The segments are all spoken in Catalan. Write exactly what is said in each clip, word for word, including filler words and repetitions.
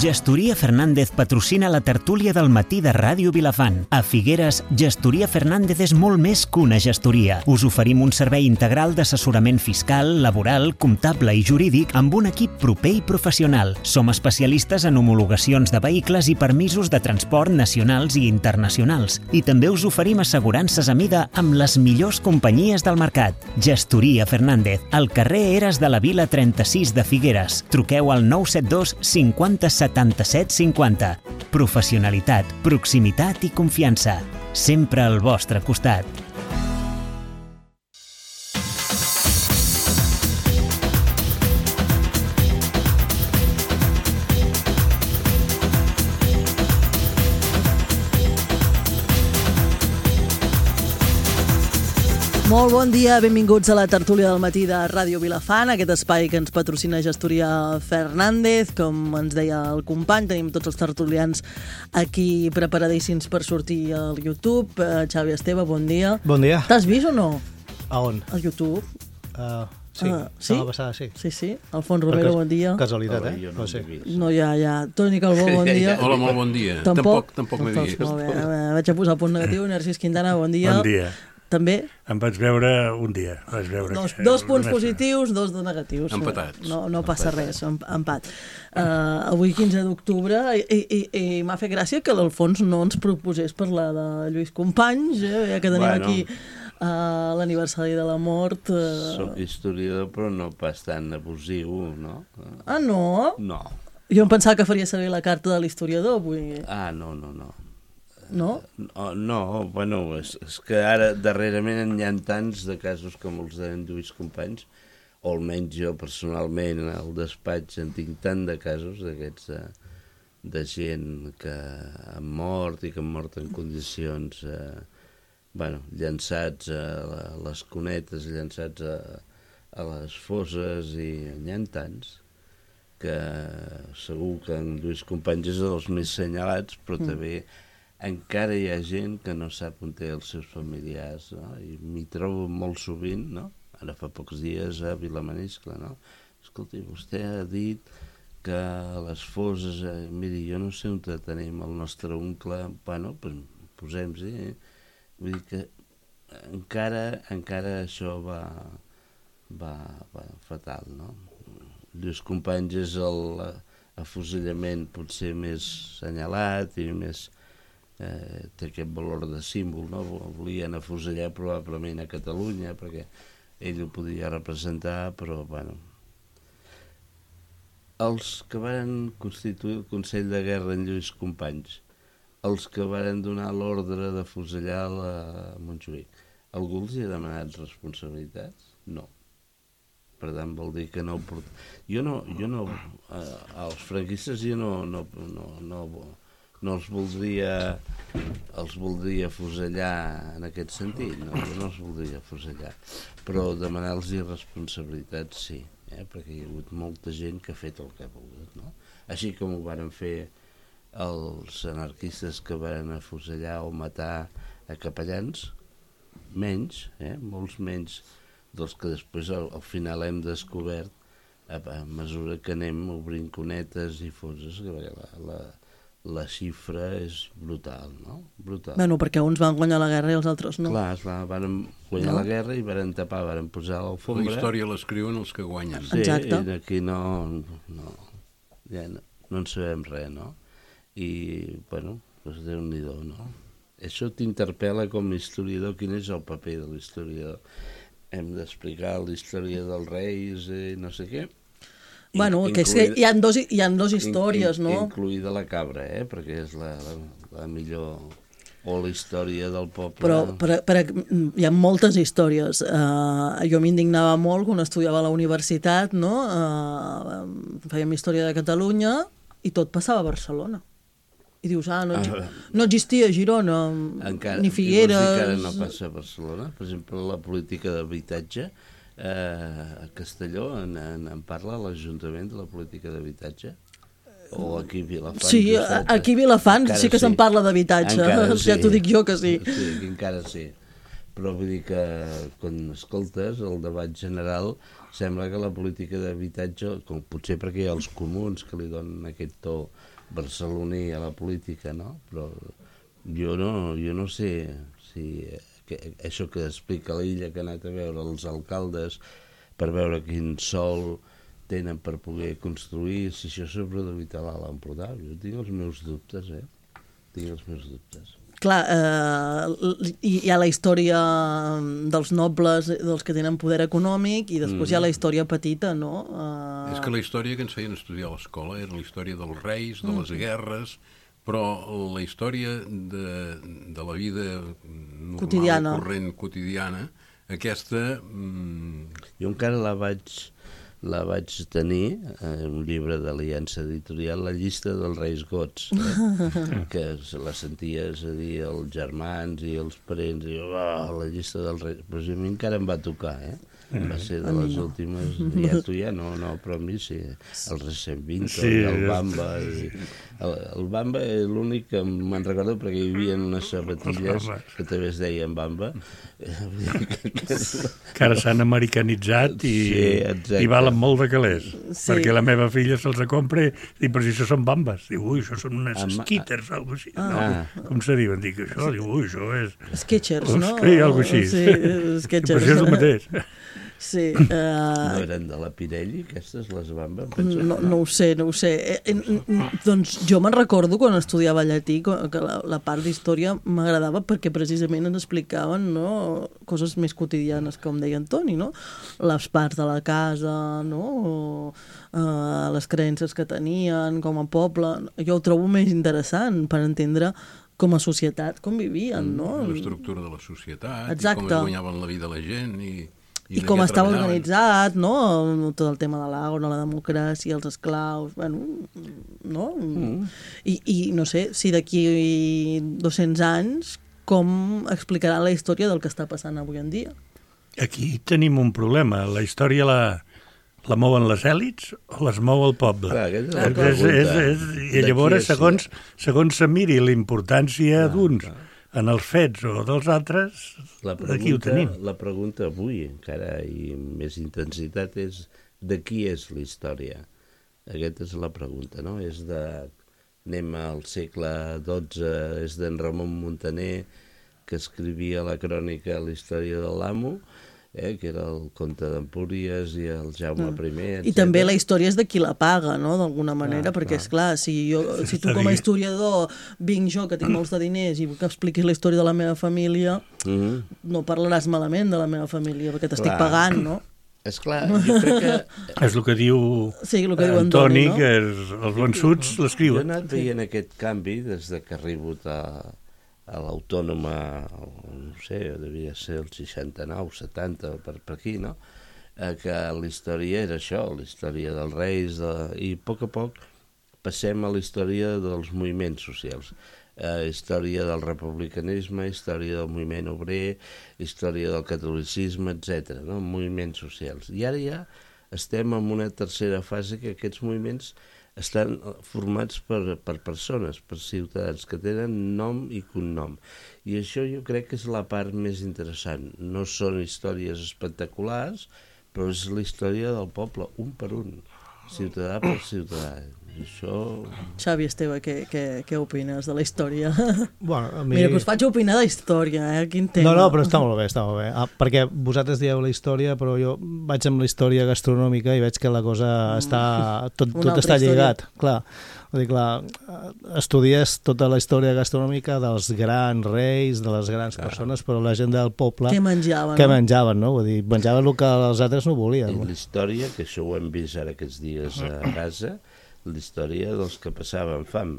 Gestoria Fernández patrocina la tertúlia del matí de Ràdio Vilafant. A Figueres, Gestoria Fernández és molt més que una gestoria. Us oferim un servei integral d'assessorament fiscal, laboral, comptable i jurídic amb un equip proper i professional. Som especialistes en homologacions de vehicles i permisos de transport nacionals i internacionals. I també us oferim assegurances a mida amb les millors companyies del mercat. Gestoria Fernández, al carrer Eres de la Vila trenta-sis de Figueres. Truqueu al nou set dos cinquanta setanta-set cinquanta. Professionalitat, proximitat i confiança. Sempre al vostre costat. Molt bon dia, benvinguts a la tertúlia del matí de Ràdio Vilafant, aquest espai que ens patrocina Gestoria Fernández. Com ens deia el company, tenim tots els tertulians aquí preparadíssims per sortir al YouTube. Uh, Xavi Esteve, bon dia. Bon dia. T'has vist o no? A on? Al YouTube. Uh, sí, uh, sí? la passada sí. Sí, sí. Alfons Romero, bon dia. Casualitat, Hola, eh? jo no, no sé. No, ja, ja. Toni Calbó, bon dia. Hola, molt bon dia. Tampoc? Tampoc, tampoc m'he vist. Molt bé, vaig a posar el punt negatiu. Narcís Quintana, bon dia. Bon dia. També? Em vaig veure un dia. Vaig veure Dos, que, dos punts només... positius, dos de negatius. Empatats. No, no passa Empatats. res, empat. Uh, avui quinze d'octubre, i, i, i m'ha fet gràcia que l'Alfons no ens proposés parlar de Lluís Companys, eh? Ja que tenim Bueno. aquí uh, l'aniversari de la mort. Uh... Soc historiador, però no pas tan abusiu, no? Ah, no? No. Jo em pensava que faria servir la carta de l'historiador avui. Ah, no, no, no. No? No, no bueno, és, és que ara darrerament hi ha tants de casos com els d'en Lluís Companys, o almenys jo personalment al despatx en tinc tant de casos d'aquests de, de gent que han mort i que han mort en condicions eh, bueno, llançats a, la, a les cunetes, llançats a, a les fosses, i n'hi ha tants que segur que en Lluís Companys és dels més senyalats, però mm. també encara hi ha gent que no sap on té els seus familiars, no? I m'hi trobo molt sovint, no? Ara fa pocs dies a Vilamaniscle, no? Escolti, vostè ha dit que a les fosses, eh, miri, jo no sé on tenim el nostre oncle, bueno, pues posem-s'hi, eh? Vull dir que encara, encara això va, va, va fatal, no? Lluís Companys és l'afusellament potser més senyalat i més... Eh, té aquest valor de símbol, no? Volien afusellar probablement a Catalunya perquè ell ho podia representar, però bueno, els que van constituir el Consell de Guerra en Lluís Companys, els que van donar l'ordre d'afusellar a Montjuïc, algú els hi ha demanat responsabilitats? No. Per tant, vol dir que no ho port... Jo no, jo no, eh, els franquistes jo no, no, no, no, no els voldria els voldria afusellar en aquest sentit, no, jo no els voldria afusellar, però demanar-los responsabilitats sí, eh, perquè hi ha hagut molta gent que ha fet el que ha volgut, no? Així com ho varen fer els anarquistes que van afusellar o matar a capellans, menys, eh, molts menys dels que després al, al final hem descobert a, a mesura que anem obrint cunetes i fosses, que la, la la xifra és brutal, no? Brutal. Bueno, perquè uns van guanyar la guerra i els altres no. Clar, es va, van guanyar No? la guerra i van tapar, van posar l'alfombra. La història l'escriuen els que guanyen. Sí, Exacte. i aquí no, no, ja no, no en sabem res, no? I, bueno, doncs Déu-n'hi-do, no? Això t'interpel·la com a historiador, quin és el paper de l'historiador. Hem d'explicar la història dels reis i no sé què. Bueno, que és que hi ha dos, hi ha dos històries, in, in, no? Incluïda la cabra, eh? Perquè és la, la, la millor... O la història del poble. Però per, per, hi ha moltes històries. Uh, jo m'indignava molt quan estudiava a la universitat, no? Uh, fèiem història de Catalunya i tot passava a Barcelona. I dius, ah, no, Ah, no existia Girona, encara, ni Figueres... I vols dir que ara no passa a Barcelona? Per exemple, la política d'habitatge... Eh, a Castelló en, en, en parla l'Ajuntament de la política d'habitatge? O aquí a Vilafant? Sí, aquí a Vilafant sí que se'n parla d'habitatge, ja t'ho dic jo que sí. Sí, encara sí. però vull dir que quan escoltes el debat general sembla que la política d'habitatge, com potser perquè hi ha els comuns que li donen aquest to barceloní a la política, no? Però jo no, jo no sé si que, això que explica l'Illa, que ha anat a veure els alcaldes per veure quin sòl tenen per poder construir, si això s'ha produït a l'Alt Empordà. Jo tinc els meus dubtes, eh? Tinc els meus dubtes. Clar, eh, hi ha la història dels nobles, dels que tenen poder econòmic, i després mm. hi ha la història petita, no? Uh... És que la història que ens feien estudiar a l'escola era la història dels reis, de les guerres, però la història de, de la vida normal, quotidiana. corrent, quotidiana, aquesta... Mm... Jo encara la vaig... la vaig tenir en un llibre d'Aliança Editorial, la llista dels reis gots, eh? que la senties a dir els germans i els parents, i oh, la llista dels reis, però a mi encara em va tocar, eh? Va ser de les últimes, ja tu ja no, no, però a mi sí, el Recent Vinto, sí, el Bamba, i el, el Bamba és l'únic que me'n recordo perquè hi havia unes sabatilles que també es deien Bamba, que ara s'han americanitzat i, sí, i valen molt de calés, sí. perquè la meva filla se'ls compra i diu, però si això són bambes, diu, ui, això són unes Ama... skitters, algo així, ah. no? Com se diuen? Dic, això, diu, ui, això és... Sketchers, no? Sí, algo així. Sí, Sketchers. Però això és el mateix. Sí, uh... No eren de la Pirelli, aquestes, les bambes? No, no ho sé, no ho sé. Eh, eh, doncs jo me'n recordo quan estudiava llatí que la, la part d'història m'agradava perquè precisament ens explicaven, no, coses més quotidianes, com deia Antoni, no? Les parts de la casa, no? O, uh, les creences que tenien com a poble. Jo ho trobo més interessant per entendre com a societat, com vivien, no? L'estructura de la societat, exacte. I com es guanyaven la vida la gent, i... I, I com estava organitzat, no? Tot el tema de l'agro, la democràcia, els esclaus, bueno, no? Mm. I, I no sé, si d'aquí dos-cents anys, com explicarà la història del que està passant avui en dia? Aquí tenim un problema. La història la, la mouen les èlits o les mou el poble? Clar, és la és, és, és, I llavors, segons, segons se miri la importància d'uns en els fets o dels altres, la pregunta, aquí ho tenim. La pregunta avui, encara i amb més intensitat, és de qui és la història? Aquesta és la pregunta, no? És de... Anem al segle dotze, és d'en Ramon Muntaner, que escrivia la crònica La història de l'amo, eh, que era el comte d'Empúries i el Jaume I, etcètera. I també la història és de qui la paga, no?, d'alguna manera, ah, perquè, ah. esclar, si, jo, si tu com a historiador vinc jo, que tinc molts de diners, i vull que expliquis la història de la meva família, mm-hmm. no parlaràs malament de la meva família, perquè t'estic pagant, no? És clar, jo crec que... És el que diu, sí, el que diu Antoni, Antoni, no? que és, els vençuts l'escriuen. Jo he anat veient aquest canvi des de que arribo a... a l'Autònoma, no sé, devia ser el seixanta-nou, setanta, per, per aquí, no? Eh, que la història era això, la història dels reis, de... i a poc a poc passem a la història dels moviments socials. Eh, història del republicanisme, història del moviment obrer, història del catolicisme, etcètera, no? Moviments socials. I ara ja estem en una tercera fase que aquests moviments estan formats per, per persones, per ciutadans, que tenen nom i cognom. I això jo crec que és la part més interessant. No són històries espectaculars, però és la història del poble, un per un, ciutadà per ciutadà. I això... Xavi Esteve, què, què, què opines de la història? Bueno, a mi... Mira, que us faig opinar de història, eh? Quin tema. No, no, però està molt bé, està molt bé. Ah, perquè vosaltres dieu la història, però jo vaig amb la història gastronòmica i veig que la cosa està... Tot, tot està lligat, clar. Vull dir, clar, estudies tota la història gastronòmica dels grans reis, de les grans clar. persones, però la gent del poble... Què menjaven, què no? menjaven, no? Vull dir, menjaven el que els altres no volien. I la història, que això ho hem vist ara aquests dies a casa, la història dels que passaven fam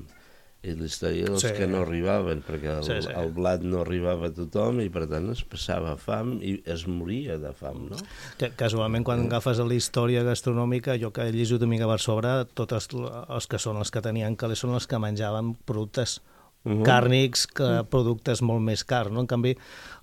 i la història dels sí. que no arribaven, perquè el, sí, sí. el blat no arribava a tothom i per tant es passava fam i es moria de fam, no? Que, casualment, quan agafes la història gastronòmica, jo que he llegit una mica per sobre, tots els que són els que tenien calés són els que menjaven productes Uh-huh. Càrnics, que, productes molt més cars, no? En canvi,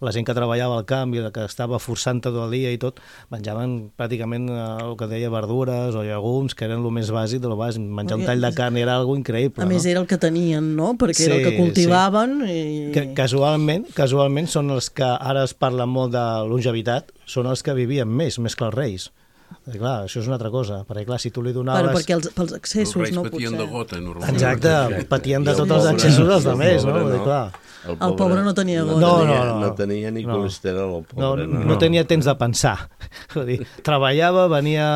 la gent que treballava al camp i que estava forçant tot el dia i tot, menjaven pràcticament eh, el que deia verdures o llegums, que eren el més bàsic de lo bàsic. Menjar un tall de carn era algo increïble. A més, no? Era el que tenien, no? Perquè sí, era el que cultivaven. Sí. I... Que, casualment, casualment són els que ara es parla molt de longevitat, són els que vivien més, més que els reis. I clar, això és una altra cosa, perquè clar, si tu li donaves... Però perquè els, pels excessos, els no? reis patien potser... de gota, normalment. Exacte, patien de tots els excessos dels altres, no? no? Clar. El pobre, el pobre no tenia gota. No, no, no, no. no tenia ni colesterol, el pobre. No, no, no tenia temps de pensar. Vull dir, treballava, venia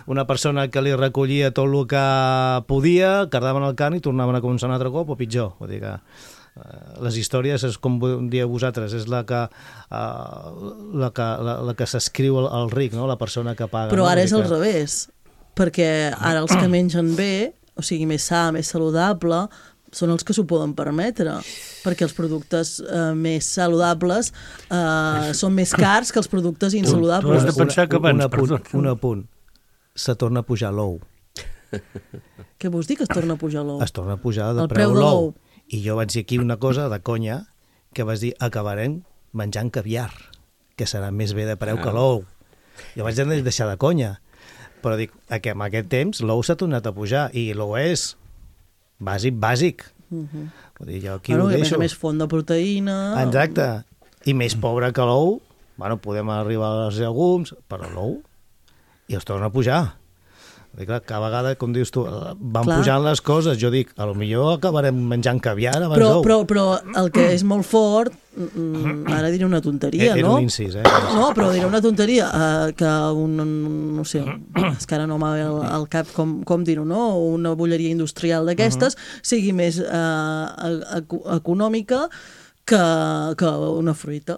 una persona que li recollia tot el que podia, cardaven el carn i tornaven a començar un altre cop o pitjor. Vull dir que les històries, és com dieu vosaltres, és la que, uh, la que, la, la que s'escriu al, al ric, no? La persona que paga. Però no? ara és que... al revés, perquè ara els que mengen bé, o sigui, més sa, més saludable, són els que s'ho poden permetre, perquè els productes eh, més saludables eh, són més cars que els productes insaludables. Tu has de pensar que abans... Un apunt, un apunt. Se torna a pujar l'ou. Què vols dir que es torna a pujar l'ou? Es torna a pujar de el preu, preu de l'ou. l'ou. I jo vaig dir aquí una cosa de conya, que vas dir, acabarem menjant caviar, que serà més bé de preu ah. que l'ou. Jo vaig deixar de conya, però dic, que en aquest temps l'ou s'ha tornat a pujar, i l'ou és bàsic, bàsic. Uh-huh. Vull dir, jo aquí bueno, ho deixo. A més, més font de proteïna... Exacte, i més pobre que l'ou, bueno, podem arribar als llegums, però l'ou, i es torna a pujar. I clar, cada vegada, com dius tu, van clar. Pujant les coses. Jo dic, a lo millor acabarem menjant caviar abans però, d'ou. Però, però el que és molt fort, mm, ara diré una tonteria, era no? un incís, eh? No, però diré una tonteria, eh, que un, no sé, és que ara no m'ha al, al cap com, com dir-ho, no? Una bolleria industrial d'aquestes uh-huh. sigui més eh, econòmica que, que una fruita.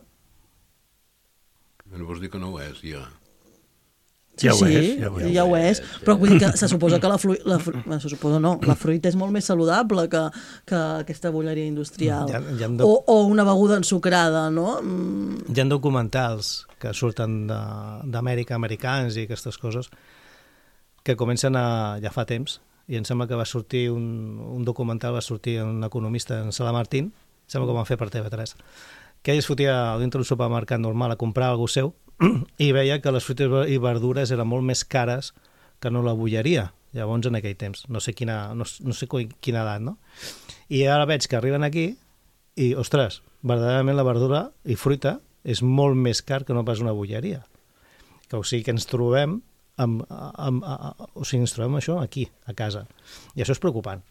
No vols dir que no ho és, ja. Sí, ja ho sí, és, ja ho és. ja ho és, però vull dir que se suposa que la fruita, la fru... se suposa no, la fruita és molt més saludable que, que aquesta bolleria industrial. Ja, ja de... o, o una beguda ensucrada, no? Mm. Hi ha documentals que surten d'Amèrica, americans i aquestes coses, que comencen a, ja fa temps, i em sembla que va sortir un, un documental, va sortir un economista, en Sala Martín, sembla que ho van fer per T V tres, que ell es fotia dintre d'un supermercat normal a comprar alguna seu, i veia que les fruites i verdures eren molt més cares que no la bolleria, llavors en aquell temps, no sé quina, no, no sé quina edat, no? I ara veig que arriben aquí i, ostres, verdaderament la verdura i fruita és molt més car que no pas una bolleria. Que, o sigui que ens trobem amb, amb, amb, o sigui, ens trobem això aquí, a casa. I això és preocupant.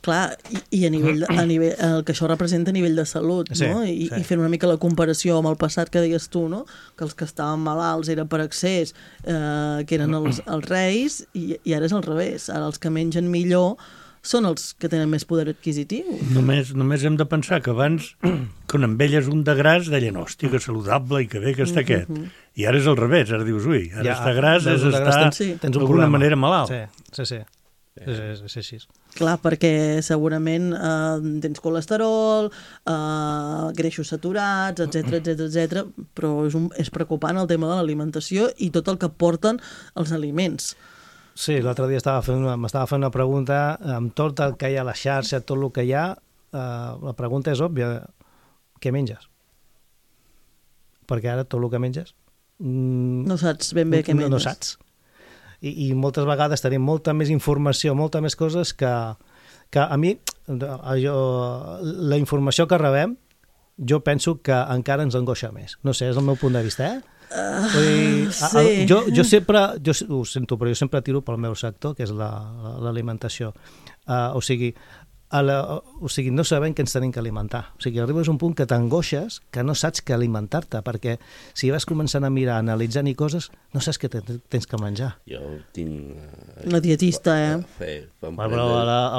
Clar, i, i a nivell, de, a nivell el que això representa a nivell de salut, sí, no? I, sí. I fent una mica la comparació amb el passat que deies tu, no? Que els que estaven malalts era per excés, eh, que eren els, els reis, i, i ara és al revés. Ara els que mengen millor són els que tenen més poder adquisitiu. Només, només hem de pensar que abans, quan envelles un de gras, deien, hòstia, que saludable i que bé que està aquest. Uh-huh. I ara és al revés, ara dius, ui, ara ja, estar gras és estar d'alguna manera malalt. Sí, sí, sí. És, és, és així. Clar, perquè segurament eh, tens colesterol, eh, greixos saturats, etcètera, etcètera, etcètera, però és, un, és preocupant el tema de l'alimentació i tot el que porten els aliments. Sí, l'altre dia estava fent una, m'estava fent una pregunta, amb tot el que hi ha a la xarxa, tot el que hi ha, eh, la pregunta és òbvia, què menges? Perquè ara tot el que menges... Mm, no saps ben bé què menges. No, no saps. I, i moltes vegades tenim molta més informació, molta més coses que, que a mi, jo, la informació que rebem, jo penso que encara ens angoixa més. No sé, és el meu punt de vista, eh? Uh, Vull dir, sí. a, a, jo, jo sempre, jo ho sento, però jo sempre tiro pel meu sector, que és l'alimentació. La, uh, o sigui, a la, o sigui, no sabem què ens tenim que alimentar. O sigui, arribes a un punt que t'angoixes, que no saps què alimentar-te, perquè si vas començant a mirar, analitzant i coses, no saps què tens que menjar. Jo tinc... Una dietista, eh? Fer, bueno, però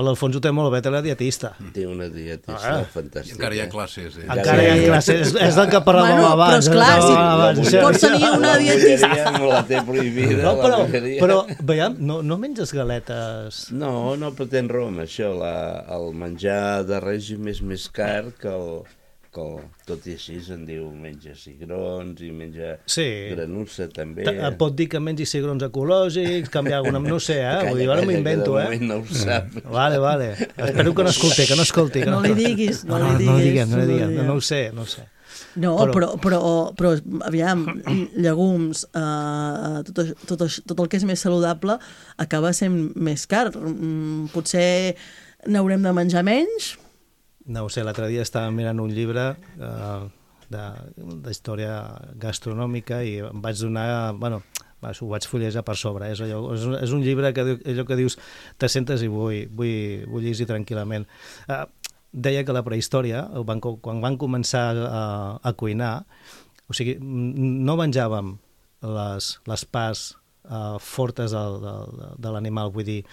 l'Alfons ho té molt bé, té la dietista. Té una dietista ah, fantàstica. I encara hi ha classes, eh? Encara hi ha classes, és, és del que parlàvem bueno, abans. Però esclar, si abans. Pots tenir una dietista... No la té prohibida, no, però, la però veiem, no, no menges galetes... No, no, però tens raó amb això, la, el menjar de règim és més car que el, tot i així se'n diu menja cigrons i menja sí. granussa també. Et pot dir que mengi cigrons ecològics, canviar alguna... No sé, eh? Vull dir, ara m'ho invento, eh? No ho sap. Vale, vale. Espero que no escolti, que no escolti. Que no, no li diguis, no, no li diguis. No, no, diguem, no, no, diguem. no, no ho sé, no ho sé. No, però, però, però, però aviam, llegums, eh, tot, tot, tot el que és més saludable acaba sent més car. Potser n'haurem de menjar menys? No ho sé, l'altre dia estava mirant un llibre eh, de, de història gastronòmica i em vaig donar, bueno, ho vaig fullejar per sobre, és, allò, és, un, és un llibre que, allò que dius, te sentes i vull, vull, vull llegir tranquil·lament. Eh, deia que la prehistòria, quan van començar a, a cuinar, o sigui, no menjàvem les, les parts Uh, fortes de, de, de l'animal, vull dir,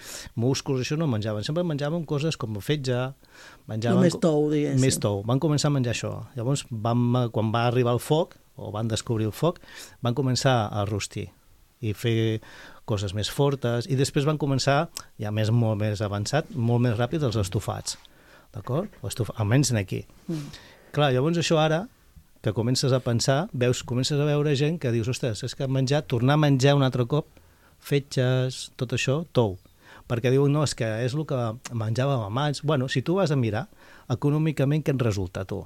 músculs, això no menjaven, sempre menjaven coses com fetge, menjaven... Més tou, diguéssim. Més tou, van començar a menjar això. Llavors, vam, quan va arribar el foc, o van descobrir el foc, van començar a rostir i fer coses més fortes, i després van començar, ja més molt més avançat, molt més ràpid, els estofats, d'acord? Estof... Almenys aquí. Mm. Clar, llavors això ara, que comences a pensar, veus, comences a veure gent que dius, ostres, és que menjar, tornar a menjar un altre cop, fetges, tot això, tou. Perquè diuen, no, és que és el que menjàvem abans. Bueno, si tu vas a mirar, econòmicament què et resulta, tu?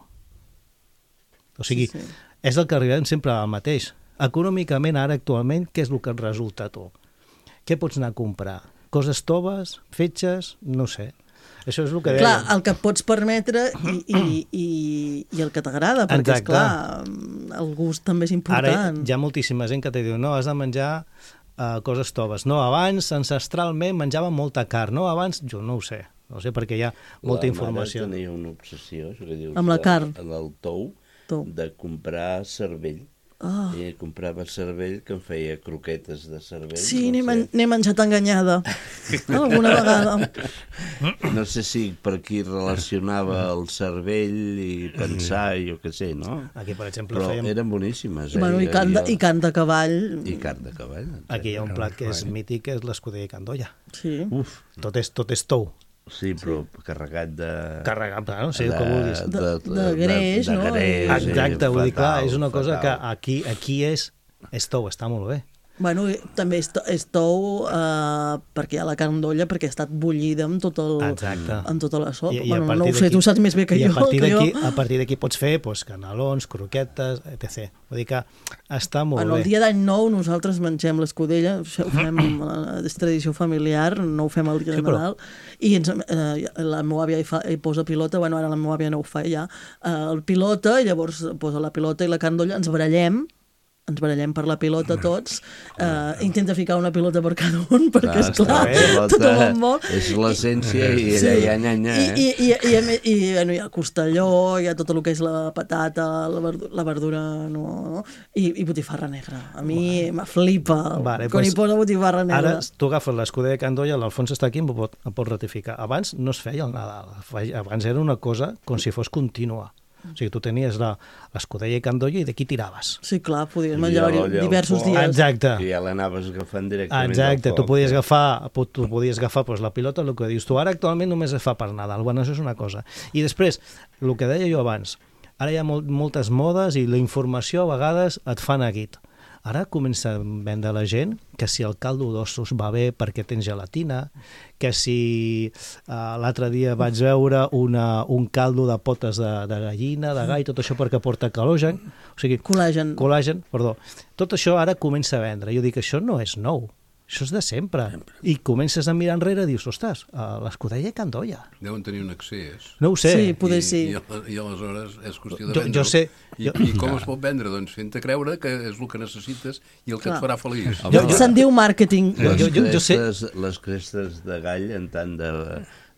O sigui, sí, sí. És el que arribem sempre al mateix. Econòmicament, ara, actualment, què és el que et resulta, tu? Què pots anar a comprar? Coses toves, fetges, no sé. Això és el que deia. Clar, el que et pots permetre i, i, i, i el que t'agrada, perquè, exacte. Esclar, el gust també és important. Ara hi ha moltíssima gent que te diu, no, has de menjar uh, coses toves. No, abans, ancestralment, menjàvem molta carn. No, abans, jo no ho sé. No sé, perquè hi ha molta la informació. La mare tenia una obsessió, això que dius, amb la carn. En el tou, tou, de comprar cervell. Oh. I comprava cervell que em feia croquetes de cervell. Sí, no n'he sé. menjat enganyada. Alguna vegada. No sé si per qui relacionava el cervell i pensar, jo què sé, no? Aquí, per exemple, però fèiem... eren boníssimes. Eh? Bueno, i, carn de, I carn de cavall. I carn de cavall. Aquí hi ha un plat que és mític, que és l'escudella i candolla. Sí. Uf, tot és, tot és tou. Sí, però sí. carregat de... Carregat, no sé el que vulguis. De, de, de greix, de, de, no? De greix, exacte, vull dir, clar, és una fatal. cosa que aquí, aquí és, és tou, està molt bé. Bueno, també és, és tou eh, perquè hi ha la carn d'olla, perquè ha estat bullida amb, tot el, amb tota la sopa. I, i bueno, no ho sé, tu saps més bé que i jo. I a partir d'aquí jo... a partir d'aquí pots fer pues, canelons, croquetes, etcètera. Vull dir que està molt bueno, bé. El dia d'any nou nosaltres mengem l'escudella, ho fem, és tradició familiar, no ho fem el dia sí, de Nadal, però... i ens, eh, la meva àvia hi, fa, hi posa pilota, bueno, ara la meva àvia no ho fa ja, eh, el pilota, i llavors posa la pilota i la carn d'olla, ens barallem, ens barallem per la pilota tots, eh, intenta ficar una pilota per cada un, perquè, clar, esclar, tothom en vol. És l'essència i sí. allà, nya, nya. I, i, i, i, i, i bueno, hi ha el costelló, hi ha tot el que és la patata, la verdura, la verdura no, no? I, i botifarra negra. A mi vale. m'aflipa vale, quan pues, hi posa botifarra negra. Ara tu agafes l'escudella de candolla, l'Alfons està aquí, em pot, em pot ratificar. Abans no es feia el Nadal, abans era una cosa com si fos contínua. O sigui, tu tenies l'escudella i candolla i d'aquí tiraves. Sí, clar, podies menjar diversos dies. Exacte. I ja l'anaves agafant directament Exacte, tu podies agafar, tu podies agafar pues, la pilota, el que dius tu. Ara actualment només es fa per Nadal, bueno, això és una cosa. I després, el que deia jo abans, ara hi ha molt, moltes modes i la informació a vegades et fa neguit. Ara comença a vendre la gent que si el caldo d'ossos va bé perquè tens gelatina, que si uh, l'altre dia vaig veure una, un caldo de potes de, de gallina, de gall, tot això perquè porta col·lagen, o sigui, col·lagen. col·lagen, perdó. Tot això ara comença a vendre. Jo dic, això no és nou. Això és de sempre. sempre. I comences a mirar enrere i dius, ostres, l'escudella i candolla. Deuen tenir un accés. No ho sé. Sí, poder I, sí. I, I aleshores és qüestió de jo, vendre-ho. Jo sé. I, jo... I com es pot vendre? Doncs fent-te creure que és el que necessites i el que Clar. et farà feliç. Jo, jo... Se'n diu màrqueting. Les, jo, jo, jo sé... crestes, les crestes de gall, en tant de...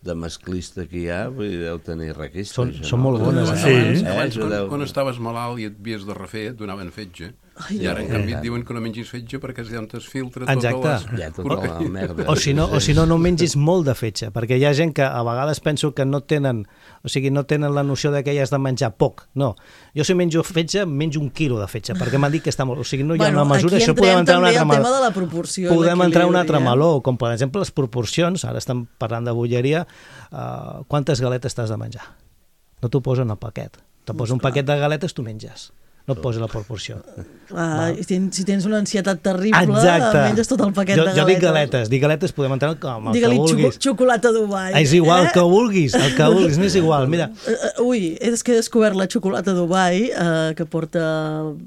de masclista que hi ha, vull dir, deu tenir requista. Són, això, són no? molt bones. Abans, Sí. abans, abans eh, quan, deu... quan estaves malalt i et havies de refer, et donaven fetge. Ai, I ara, en canvi, et diuen que no mengis fetge perquè ja on es filtra Exacte. totes les... Ja, tota la merda. O si, no, o si no, no mengis molt de fetge, perquè hi ha gent que a vegades penso que no tenen, o sigui, no tenen la noció de que hi has de menjar poc. No. Jo si menjo fetge, menjo un quilo de fetge, perquè m'han dit que està molt... O sigui, no hi ha bueno, una mesura... Aquí això podem entrar també un altre el tema de la proporció. Podem entrar un altre eh? meló, com per exemple les proporcions, ara estem parlant de bolleria, uh, quantes galetes t'has de menjar? No t'ho posen al paquet. Te posa un paquet de galetes, tu menges. No et posa la proporció. Ah, si tens una ansietat terrible, Exacte. menges tot el paquet jo, de galetes. Jo dic galetes, dic galetes podem entrar com el Digue-li que vulguis. xocolata Dubai. És igual, eh? el que vulguis, el que vulguis, no és igual, mira. Uh, ui, és que he descobert la xocolata Dubai, uh, que porta...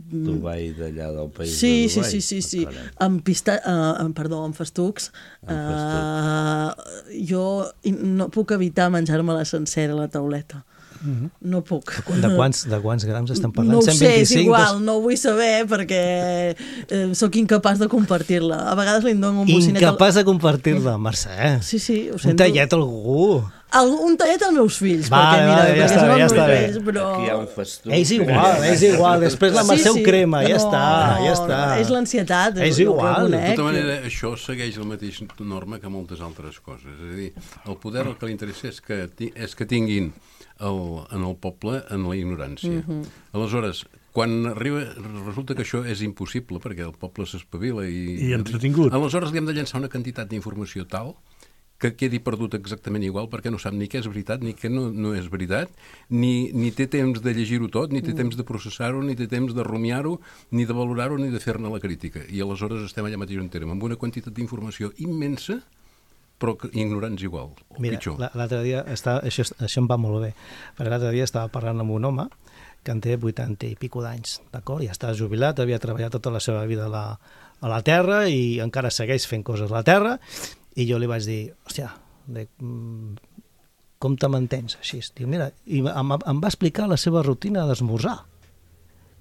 Dubai d'allà del país sí, de Dubai. Sí, sí, sí, sí. Oh, amb pista... Uh, amb, perdó, amb festucs. Uh, jo no puc evitar menjar-me-la sencera, la tauleta. Mm-hmm. No puc. De quants, de quants grams estem parlant? No ho cent sé, vint-i-cinc, és igual, dos... no ho vull saber perquè eh, sóc incapaç de compartir-la. A vegades li dono un bocinet... Incapaç de compartir-la, Mercè. Sí, sí, ho un sento. tallet a algú. Al, un tallet als meus fills, va, perquè mira, va, ja perquè està són bé, ja els està meus bé. fills, però... Aquí hi ha un festuc. És igual, és igual. Després la Mercè ho crema, ja no, està, no, ja està. No, és l'ansietat. És igual. De tota manera, això segueix la mateixa norma que moltes altres coses. És a dir, el poder el que li interessa és que, és que tinguin el, en el poble en la ignorància. Uh-huh. Aleshores, quan arriba, resulta que això és impossible perquè el poble s'espavila i... I entretingut. Aleshores li hem de llançar una quantitat d'informació tal que quedi perdut exactament igual perquè no sap ni què és veritat ni què no, no és veritat, ni, ni té temps de llegir-ho tot, ni té temps de processar-ho, ni té temps de rumiar-ho, ni de valorar-ho, ni de fer-ne la crítica. I aleshores estem allà mateix on érem, amb una quantitat d'informació immensa, però ignorants igual, o Mira, pitjor. l'altre dia, està, això, això em va molt bé, perquè l'altre dia estava parlant amb un home que en té vuitanta i pico d'anys, d'acord? Ja està jubilat, havia treballat tota la seva vida a la, a la terra i encara segueix fent coses a la terra. I jo li vaig dir, hòstia, de, com te mantens així? Diu, mira, i em, em va explicar la seva rutina d'esmorzar.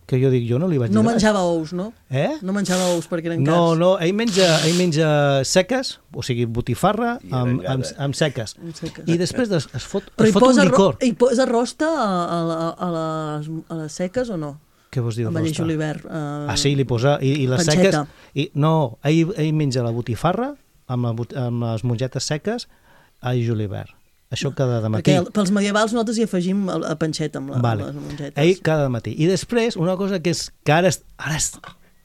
Que jo dic, jo no li vaig dir No res. menjava ous, no? Eh? No menjava ous perquè eren No, cars. no, ell menja, ell menja seques, o sigui, botifarra amb, amb, amb seques. Amb seques. I després es, es fot, Però es hi fot un posa, ro licor. hi posa rosta a, a, a, a, les, a les seques o no? Què vols dir de Amb rosta? julivert. Uh, Ah, sí, li posa... I, i les panceta. seques... I, no, ell, ell menja la botifarra amb, la, bot- amb les mongetes seques a julivert. Això cada de matí. Perquè el, pels medievals nosaltres hi afegim a, a panxeta amb la, Vale. les mongetes. Ell cada matí. I després, una cosa que és que ara és, ara és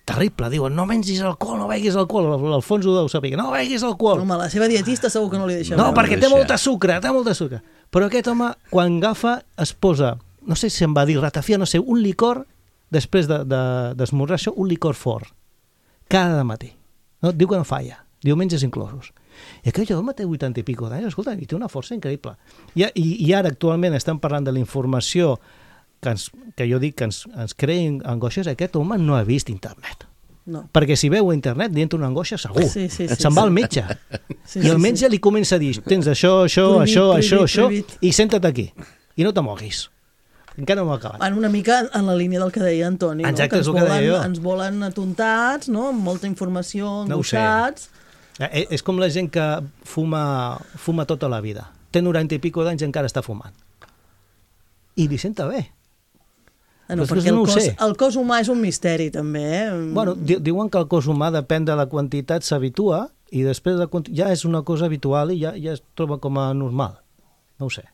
terrible, diuen, no mengis alcohol, no beguis alcohol, l'Alfons ho deu saber, no beguis alcohol. Home, la seva dietista segur que no li deixa No, beure. perquè té molta sucre, té molta sucre. Però aquest home, quan agafa, es posa, no sé si em va dir ratafia, no sé, un licor, després d'esmorzar de, de, això, un licor fort. Cada matí. No? Diu que no falla. Diumenges inclosos. I aquell home té vuitanta i pico d'anys, escolta, i té una força increïble. I, i, i ara actualment estem parlant de la informació que, ens, que jo dic que ens, ens crea angoixes. Aquest home no ha vist internet. No. Perquè si veu a internet li entra una angoixa segur. Sí, sí, sí, Se'n sí. va al metge. Sí, I el sí, metge sí. li comença a dir, tens això, això, Prohibit, això, prohibit, això, això, prohibit. i senta't aquí. I no te moguis. Encara no m'ha acabat. Van una mica en la línia del que deia Antoni, Exacte, no? és que el ens que deia volen, jo. ens volen atontats, no? Amb molta informació, No ho sé. angoixats. Eh, És com la gent que fuma, fuma tota la vida. Té noranta i pico d'anys i encara està fumant. I li senta bé. Ah, no, Però perquè el, no ho cos, sé. el cos humà és un misteri, també. Eh? Bueno, di diuen que el cos humà depèn de la quantitat, s'habitua, i després de, ja és una cosa habitual i ja, ja es troba com a normal. No ho sé.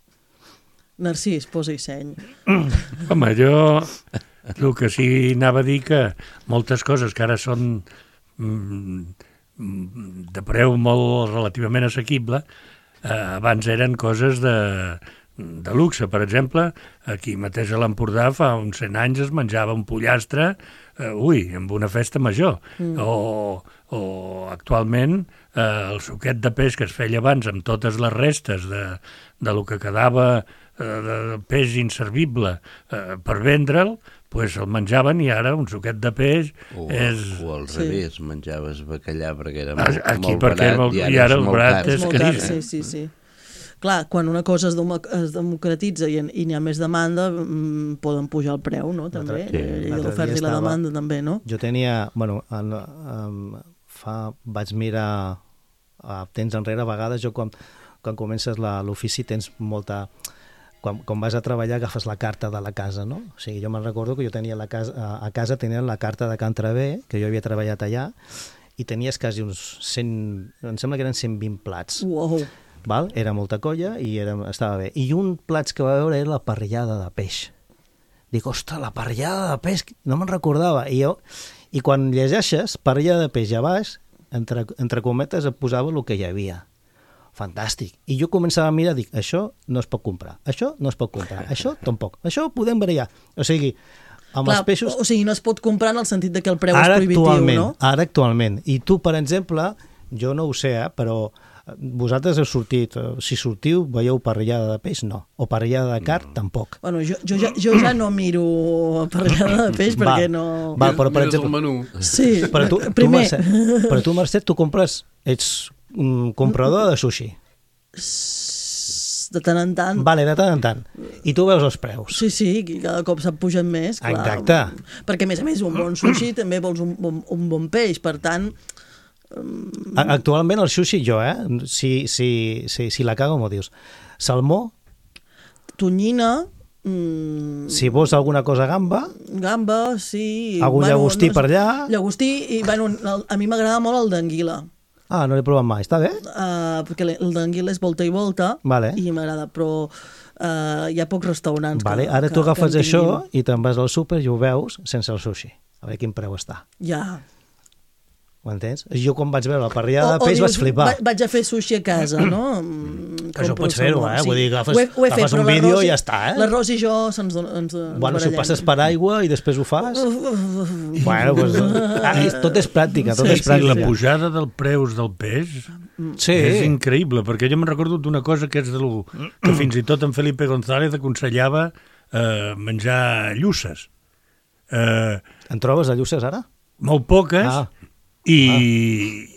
Narcís, posa-hi seny. Home, jo el que sí anava a dir que moltes coses que ara són mm, de preu molt relativament assequible, eh, abans eren coses de, de luxe. Per exemple, aquí mateix a l'Empordà fa uns cent anys es menjava un pollastre, eh, ui, amb una festa major. Mm. O, o actualment eh, el suquet de peix que es feia abans amb totes les restes de, de lo que quedava de peix inservible eh, per vendre'l, pues el menjaven i ara un suquet de peix o, és... O al Sí. revés, menjaves bacallà perquè era molt, Aquí molt perquè barat molt- i ara, i ara és el molt barat car. és És molt car, caríssim. sí, sí, sí. Clar, quan una cosa es, demo es democratitza i, en, i n'hi ha més demanda, mm, poden pujar el preu, no? També. L'altre- Sí, l'altre dia l'oferta i la estava- demanda, també, no? Jo tenia, bueno, en, en, fa, vaig mirar a temps enrere, a vegades jo quan, quan comences l'ofici tens molta... Quan, quan vas a treballar agafes la carta de la casa, no? O sigui, jo me'n recordo que jo tenia la casa, a, a casa tenia la carta de Can Travé, que jo havia treballat allà, i tenies quasi uns cent, em sembla que eren cent vint plats. Uau! Val? Era molta colla i era, estava bé. I un plats que va veure era la parrillada de peix. Dic, ostres, la parrillada de peix, no me'n recordava. I, jo, I quan llegeixes parrillada de peix a baix, entre, entre cometes et posava el que hi havia. fantàstic. I jo començava a mirar, dic, això no es pot comprar, això no es pot comprar, això tampoc, això ho podem barallar. O sigui, amb Clar, els peixos... O sigui, no es pot comprar en el sentit de que el preu ara és prohibitiu, actualment, no? Ara actualment. I tu, per exemple, jo no ho sé, eh, però vosaltres heu sortit, si sortiu, veieu parrillada de peix? No. O parrillada de carn? Tampoc. Bueno, jo, jo, ja, jo ja no miro parrillada de peix perquè va, no... Va, però per Mires exemple... el menú. Sí, Però tu, tu, primer... Mercè, però tu, Mercè, tu compres... Ets un comprador de sushi. De tant en tant. Vale, de tant en tant. I tu veus els preus. Sí, sí, i cada cop s'ha pujat més, clar. Exacte. Perquè, a més a més, un bon sushi també vols un bon, un bon peix, per tant... Actualment el sushi, jo, eh? Si, si, si, si la cago, m'ho dius. Salmó, Tonyina... Mm, si vols alguna cosa gamba, gamba, sí... algun llagostí per allà... Llagostí, i bueno, el- a mi m'agrada molt el d'anguila. Ah, no l'he provat mai, està bé? Uh, perquè el d'anguila és volta i volta, Vale. i m'agrada, però uh, hi ha pocs restaurants Vale, que, ara que, tu agafes que en això tinguin. i te'n vas al súper i ho veus sense el sushi. A veure quin preu està. Ja. Ho entens? Jo quan vaig veure la parrillada de peix vaig flipar. Va, vaig a fer sushi a casa, no? Mm, Això compro pots fer-ho, salmó, eh? Vull dir, agafes- ho he, ho he agafes fet, un però vídeo l'arròs i ja està, eh? L'arròs i jo se'ns don- ens, ens Bueno, si ho barallem. passes per aigua i després ho fas... Bueno, pues, ah, és- tot és pràctica, tot Sí, és sí, la pràctica. pujada del preus del peix Sí. és increïble, perquè jo me'n recordo d'una cosa que és de lo, que fins i tot en Felipe González aconsellava eh, menjar llusses. Eh, En trobes de llusses ara? molt poques, Ah. i,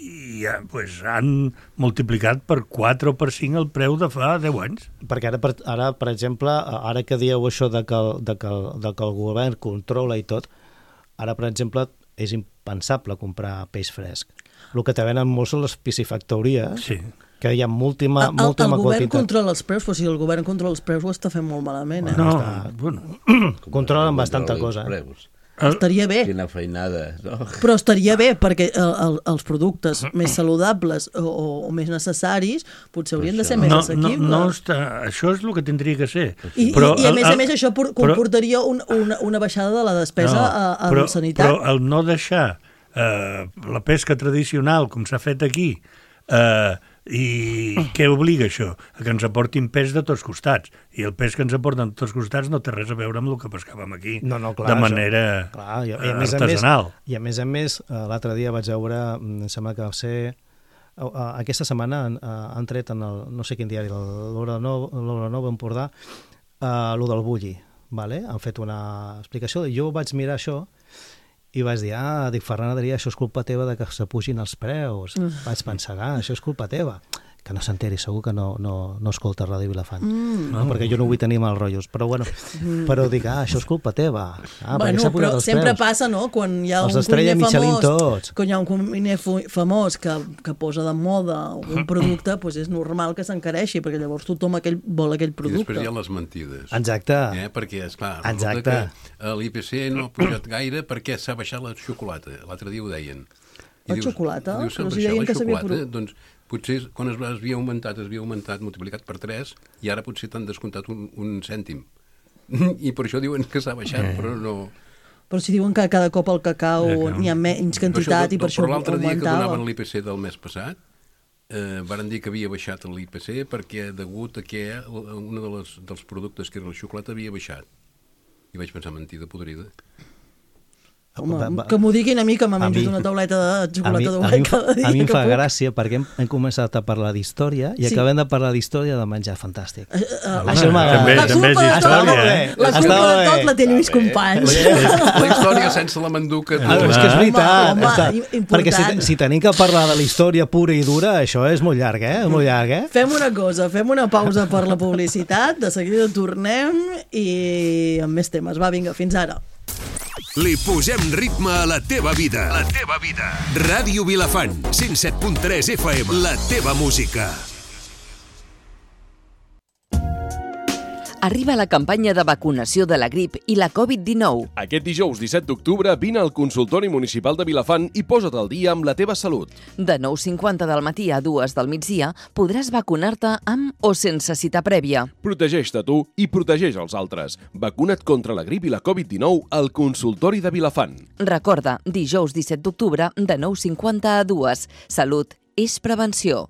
i ja, pues, han multiplicat per quatre o per cinc el preu de fa deu anys. Perquè ara, per, ara, per exemple, ara que dieu això de que, el, de, que el, de que el govern controla i tot, ara, per exemple, és impensable comprar peix fresc. El que te venen molt són les piscifactories, Sí. que hi ha moltíssima, El, el, moltíssima el govern quantitat. controla els preus, però si el govern controla els preus ho està fent molt malament, eh? No, està- bueno, Controlen bastanta Controla els cosa. preus. Estaria bé, Quina feinada, no? però estaria bé perquè el, el, els productes més saludables o, o, o més necessaris potser haurien de ser més no, no, assequibles. no està, això és el que tindria que ser. I, Però i, i a el- més a el- més això por- però- comportaria un, una, una baixada de la despesa a, a però, sanitat. Però el no deixar eh, la pesca tradicional, com s'ha fet aquí, eh, i què obliga això? A que ens aportin peix de tots costats. I el peix que ens aporten de tots costats no té res a veure amb el que pescàvem aquí, No, no, clar, de això- manera Clar, i, i, a eh, més a més, artesanal. I a més a més, eh, l'altre dia vaig veure, mm, em sembla que va ser... eh, eh, Aquesta setmana han, eh, han tret en el, no sé quin diari, l'Hora Nova, l'Hora Nova Empordà, eh, lo del bulli, vale? Han fet una explicació, i jo vaig mirar això i vaig dir, ah, dic, Ferran Adrià, això és culpa teva de que s'apugin els preus. Mm. Vaig pensar, ah, això és culpa teva. Que no s'enteri, segur que no, no, no escolta Ràdio Vilafant. Mm. No, perquè jo no vull tenir mal rotllos. Però bueno, mm. però dic, ah, això és culpa teva. Ah, Bueno, però sempre passa, no?, quan hi ha Els un d'Estrella cuiner Michelin famós, tots. quan hi ha un cuiner fu- famós que, que posa de moda un producte, doncs és normal que s'encareixi, perquè llavors tothom aquell, vol aquell I producte. després hi ha les mentides. Exacte. Eh? Perquè, esclar, Exacte. resulta que l'I P C no ha pujat gaire perquè s'ha baixat la xocolata. L'altre dia ho deien. La xocolata? Dius, s'ha Però si baixat deien la que s'havia xocolata, pro- doncs potser quan es havia augmentat, es havia augmentat, multiplicat per tres, i ara potser t'han descomptat un, un cèntim. I per això diuen que s'ha baixat, Eh. però no... Però si diuen que cada cop el cacau Cacau. n'hi ha menys quantitat i per això Però l'altre dia que augmentava. donaven l'I P C del mes passat, eh, varen dir que havia baixat l'I P C perquè degut a que un de les, dels productes que era la xocolata havia baixat. I vaig pensar, mentida podrida. Home, Va- va- que m'ho diguin a mi, que me a menjat mi- una tauleta de A mi, xocolata a, d'ovella mi, em fa- cada dia. a mi em que fa puc. gràcia perquè hem, hem començat a parlar d'història i Sí. acabem de parlar d'història de menjar fantàstic. Eh, eh, Això m'agrada. també- la també és culpa de tot, història, eh? la Està culpa de bé. tot la té Lluís Companys. La història sense la manduca... Ah, és que és veritat. Home, està. home, important. Perquè si, si tenim que parlar de la història pura i dura, això és molt llarg, eh? És molt llarg, eh? Fem una cosa, fem una pausa per la publicitat, de seguida tornem i amb més temes. Va, vinga, fins ara. Li posem ritme a la teva vida. La teva vida. Ràdio Vilafant, cent set punt tres F M. La teva música. Arriba la campanya de vacunació de la grip i la covid dinou. Aquest dijous disset d'octubre vine al consultori municipal de Vilafant i posa't al dia amb la teva salut. De nou cinquanta del matí a dues del migdia podràs vacunar-te amb o sense cita prèvia. Protegeix-te tu i protegeix els altres. Vacuna't contra la grip i la covid dinou al consultori de Vilafant. Recorda, dijous disset d'octubre de nou cinquanta a dues. Salut és prevenció.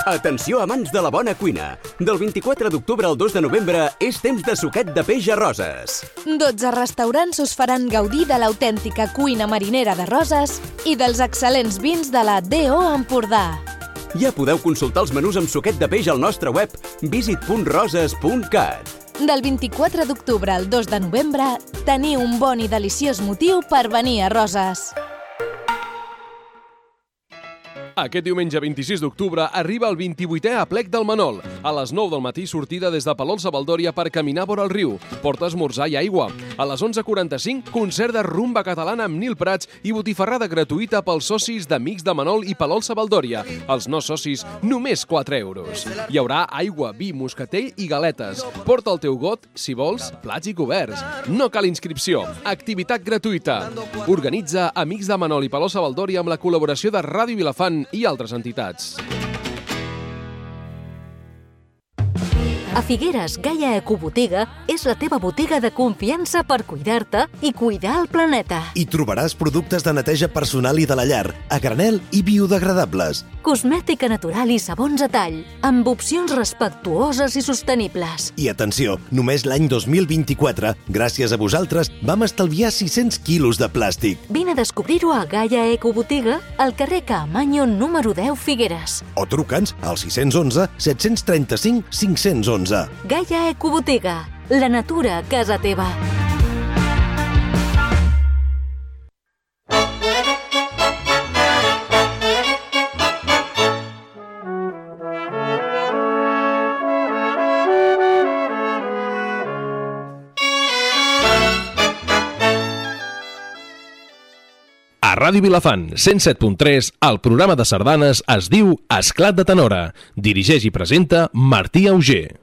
Atenció amants de la bona cuina. Del vint-i-quatre d'octubre al dos de novembre és temps de suquet de peix a Roses. dotze restaurants us faran gaudir de l'autèntica cuina marinera de Roses i dels excel·lents vins de la D O Empordà. Ja podeu consultar els menús amb suquet de peix al nostre web visit punt roses punt cat. Del vint-i-quatre d'octubre al dos de novembre, teniu un bon i deliciós motiu per venir a Roses. Aquest diumenge vint-i-sis d'octubre arriba el vint-i-vuitè aplec del Manol. A les nou del matí sortida des de Palol-Savaldòria per caminar vora el riu. Porta esmorzar i aigua. A les onze quaranta-cinc, concert de rumba catalana amb Nil Prats i botifarrada gratuïta pels socis d'Amics de Manol i Palol-Savaldòria. Els no socis, només quatre euros. Hi haurà aigua, vi, moscatell i galetes. Porta el teu got, si vols, plats i coberts. No cal inscripció. Activitat gratuïta. Organitza Amics de Manol i Palol-Savaldòria amb la col·laboració de Ràdio Vilafant i altres entitats. A Figueres, Gaia Ecobotiga és la teva botiga de confiança per cuidar-te i cuidar el planeta. Hi trobaràs productes de neteja personal i de la llar, a granel i biodegradables. Cosmètica natural i sabons a tall, amb opcions respectuoses i sostenibles. I atenció, només l'any dos mil vint-i-quatre, gràcies a vosaltres, vam estalviar sis-cents quilos de plàstic. Vine a descobrir-ho a Gaia Ecobotiga, al carrer Caamaño número deu, Figueres. O truca'ns al sis u un, set tres cinc, cinc u u. Gaia Ecobotiga, la natura a casa teva. A Ràdio Vilafant, cent set punt tres, el programa de sardanes es diu Esclat de Tenora. Dirigeix i presenta Martí Auger.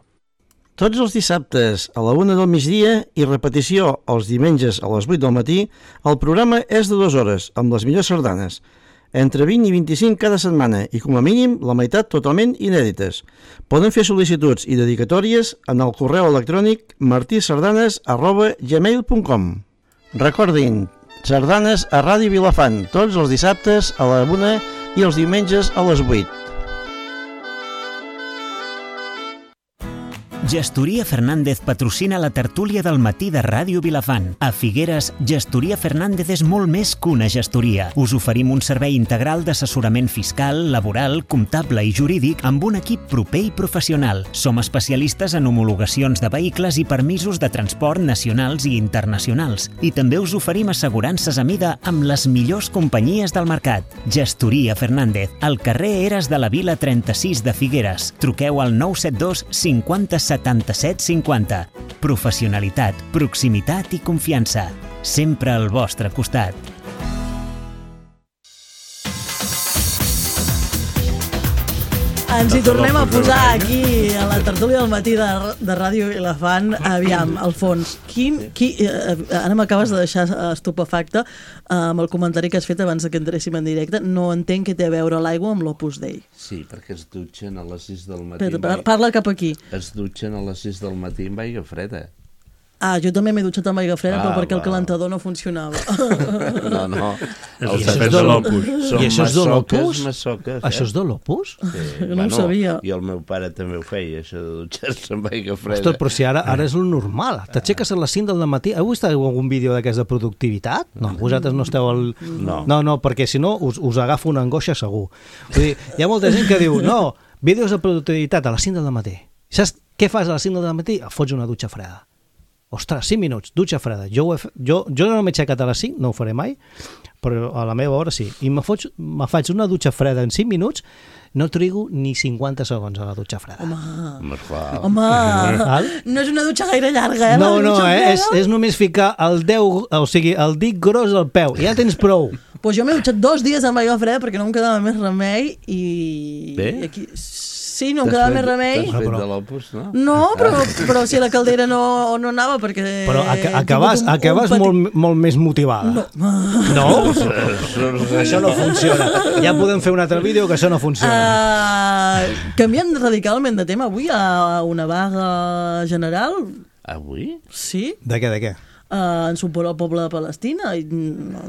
Tots els dissabtes a la una del migdia i repetició els diumenges a les vuit del matí, el programa és de dues hores, amb les millors sardanes. Entre vint i vint-i-cinc cada setmana i, com a mínim, la meitat totalment inèdites. Poden fer sol·licituds i dedicatòries en el correu electrònic martisardanes arroba gmail punt com. Recordin, sardanes a Ràdio Vilafant, tots els dissabtes a la una i els diumenges a les vuit. Gestoria Fernández patrocina la tertúlia del matí de Ràdio Vilafant. A Figueres, Gestoria Fernández és molt més que una gestoria. Us oferim un servei integral d'assessorament fiscal, laboral, comptable i jurídic amb un equip proper i professional. Som especialistes en homologacions de vehicles i permisos de transport nacionals i internacionals. I també us oferim assegurances a mida amb les millors companyies del mercat. Gestoria Fernández, al carrer Eres de la Vila trenta-sis de Figueres. Truqueu al nou set dos cinquanta setanta-set cinquanta. Professionalitat, proximitat i confiança. Sempre al vostre costat. Ens hi tornem a posar aquí a la tertúlia del matí de, de Ràdio Vilafant. Aviam, Alfons, quin, qui, eh, ara m'acabes de deixar estupefacte eh, amb el comentari que has fet abans que entréssim en directe. No entenc què té a veure l'aigua amb l'Opus Dei. Sí, perquè es dutxen a les sis del matí. Però, par parla cap aquí. Es dutxen a les sis del matí amb aigua freda. Ah, jo també m'he dutxat amb aigua freda, ah, però perquè va. El calentador no funcionava. No, no. I això és de l'Opus? I això és de l'Opus? Això és de l'Opus? No ho sabia. I el meu pare també ho feia, això de dutxar-se amb aigua freda. Ostres, però si ara, ara és el normal. T'aixeques a les cinc del matí. Heu vist algun vídeo d'aquest de productivitat? No, vosaltres no esteu al... No. No, no, perquè si no us, us agafa una angoixa segur. Vull dir, hi ha molta gent que diu, no, vídeos de productivitat a les cinc del matí. Saps què fas a les cinc del matí? Fots una dutxa freda. Ostres, cinc minuts, dutxa freda. Jo, he, jo, jo no m'he aixecat a les cinc, no ho faré mai, però a la meva hora sí. I me, foig, me faig una dutxa freda en cinc minuts, no trigo ni cinquanta segons a la dutxa freda. Home, Home, Home no és una dutxa gaire llarga, eh? No, no, eh? és, és només ficar el, deu, o sigui, el dit gros al peu, ja tens prou. Pues jo m'he dutxat dos dies amb aigua freda perquè no em quedava més remei i... Bé? I aquí... Sí, no em quedava més remei. T'has fet de l'Opus, no? No, però, però si la caldera no, no anava perquè... Però acabes, un, acabes un petit... molt, molt més motivada. No? No? Això no funciona. Ja podem fer un altre vídeo que això no funciona. Uh, canviant radicalment de tema, avui hi ha una vaga general. Avui? Sí. De què, de què? Uh, en suport al poble de Palestina i, no,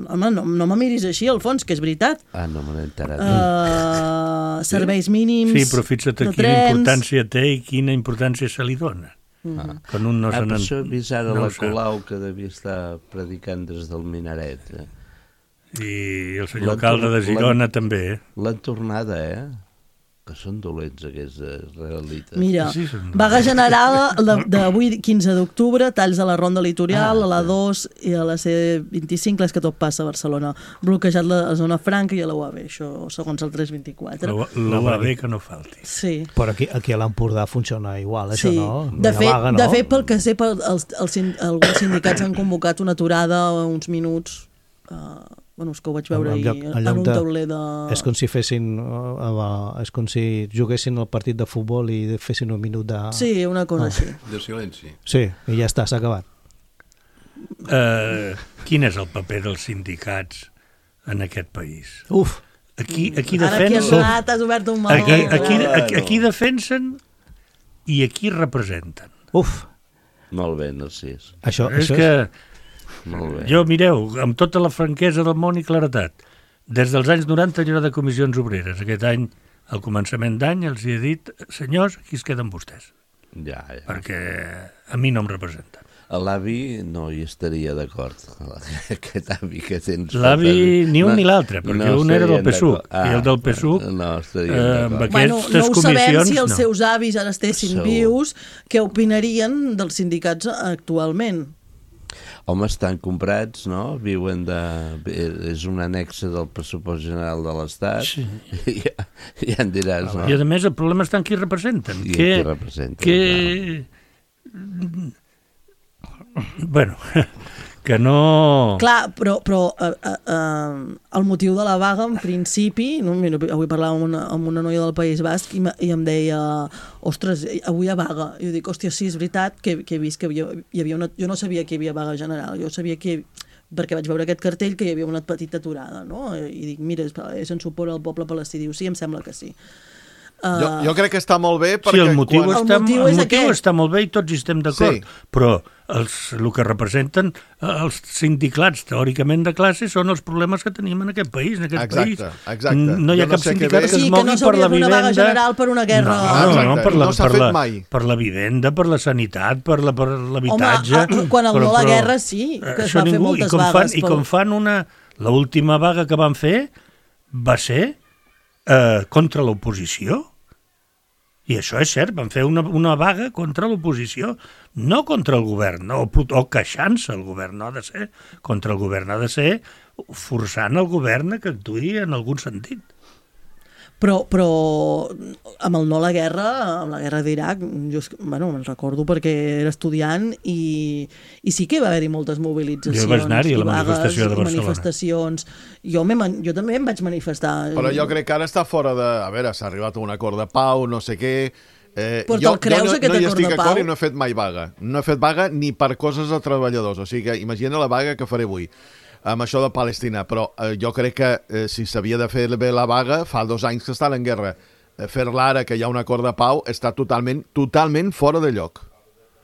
home, no, no me miris així, Alfons, que és veritat. Ah, no me n'he enterat. Uh, serveis mínims sí, però fixa't de quina trens... importància té i quina importància se li dona. Ah. Quan un no ah, se per això he vist ara no la Colau que devia estar predicant des del minaret. Eh? I el senyor alcalde de Girona també. Eh? L'han tornada, eh? Que són dolents aquests realites. Mira, sí, vaga general d'avui quinze d'octubre, talls a la Ronda Litoral, ah, a la dos i a la C vint-i-cinc, les que tot passa a Barcelona. Bloquejat la zona franca i a la U A B, això segons el tres vint-i-quatre. La U A B que no falti. Sí. Però aquí, aquí a l'Empordà funciona igual, això, sí. no? De fet, vaga, no? De fet, pel que sé, pel, els, els, alguns sindicats han convocat una aturada uns minuts... Uh, Bueno, és que ho vaig veure en, lloc, en, en un tauler de... És com si fessin... Uh, és com si juguessin el partit de futbol i fessin un minut de... Sí, una cosa ah. així. De silenci. Sí, i ja està, s'ha acabat. Uh, quin és el paper dels sindicats en aquest país? Uf! Aquí, aquí Ara defensen... Ara aquí has obert un meló. Aquí, aquí, aquí, aquí defensen i aquí representen. Uf! Molt bé, Narcís. Això, és això que... És... Jo, mireu, amb tota la franquesa del món i claretat, des dels anys noranta hi ha de comissions obreres. Aquest any, al començament d'any, els hi he dit, senyors, aquí es queden vostès. Ja, ja. Perquè a mi no em representen. L'avi no hi estaria d'acord. Aquest avi que tens... L'avi ni un no, ni l'altre, perquè no un era del P S U C, ah, i el del P S U C, no eh, amb bueno, aquestes no ho comissions... sabem si els no. seus avis ara estessin Segur. vius, què opinarien dels sindicats actualment. Home, estan comprats, no? Viuen de... És un annexe del pressupost general de l'Estat. Sí. I ja, ja en diràs, no? I a més el problema està en qui representen. I que, qui representen, que... Bueno, que no... Clar, però, però uh, uh, uh, el motiu de la vaga, en principi, no? Mira, avui parlava amb una, amb una noia del País Basc i, i em deia, ostres, avui hi ha vaga. I jo dic, hòstia, sí, és veritat que, que he vist que havia, hi havia una... Jo no sabia que hi havia vaga general, jo sabia que, perquè vaig veure aquest cartell, que hi havia una petita aturada, no? I dic, mira, és en suport al poble palestí. Diu, sí, em sembla que sí. Uh... Jo, jo crec que està molt bé perquè... Sí, el motiu, quan... està, el motiu, el és motiu està molt bé i tots hi estem d'acord, sí. Però els, el que representen els sindicats teòricament de classe són els problemes que tenim en aquest país, en aquest exacte, país. Exacte. No hi ha no cap sindicat que, sí, es mogui no per la vivenda... una vaga general per una guerra... No, no, no, per la, no s'ha per fet la, mai. Per la vivenda, per la sanitat, per l'habitatge... Home, quan el però, no la guerra sí, que es va fer moltes i vagues. Fan, I com fan una... L'última vaga que van fer va ser eh, contra l'oposició. I això és cert, van fer una, una vaga contra l'oposició, no contra el govern, no, o queixant-se el govern, no ha de ser contra el govern, ha de ser forçant el govern a que actuï en algun sentit. Però, però amb el no a la guerra, amb la guerra d'Iraq, jo bueno, me'n recordo perquè era estudiant i, i sí que va haver-hi moltes mobilitzacions. Jo vaig anar-hi a la manifestació de Barcelona. Manifestacions. Jo, jo també em vaig manifestar. Però jo crec que ara està fora de... A veure, s'ha arribat a un acord de pau, no sé què... Eh, però jo, te'l creus, jo no, aquest no hi acord estic de pau? acord i no he fet mai vaga. No he fet vaga ni per coses de treballadors. O sigui que imagina la vaga que faré avui amb això de Palestina, però eh, jo crec que eh, si s'havia de fer bé la vaga, fa dos anys que estan en guerra. Eh, fer-la ara, que hi ha un acord de pau, està totalment, totalment fora de lloc.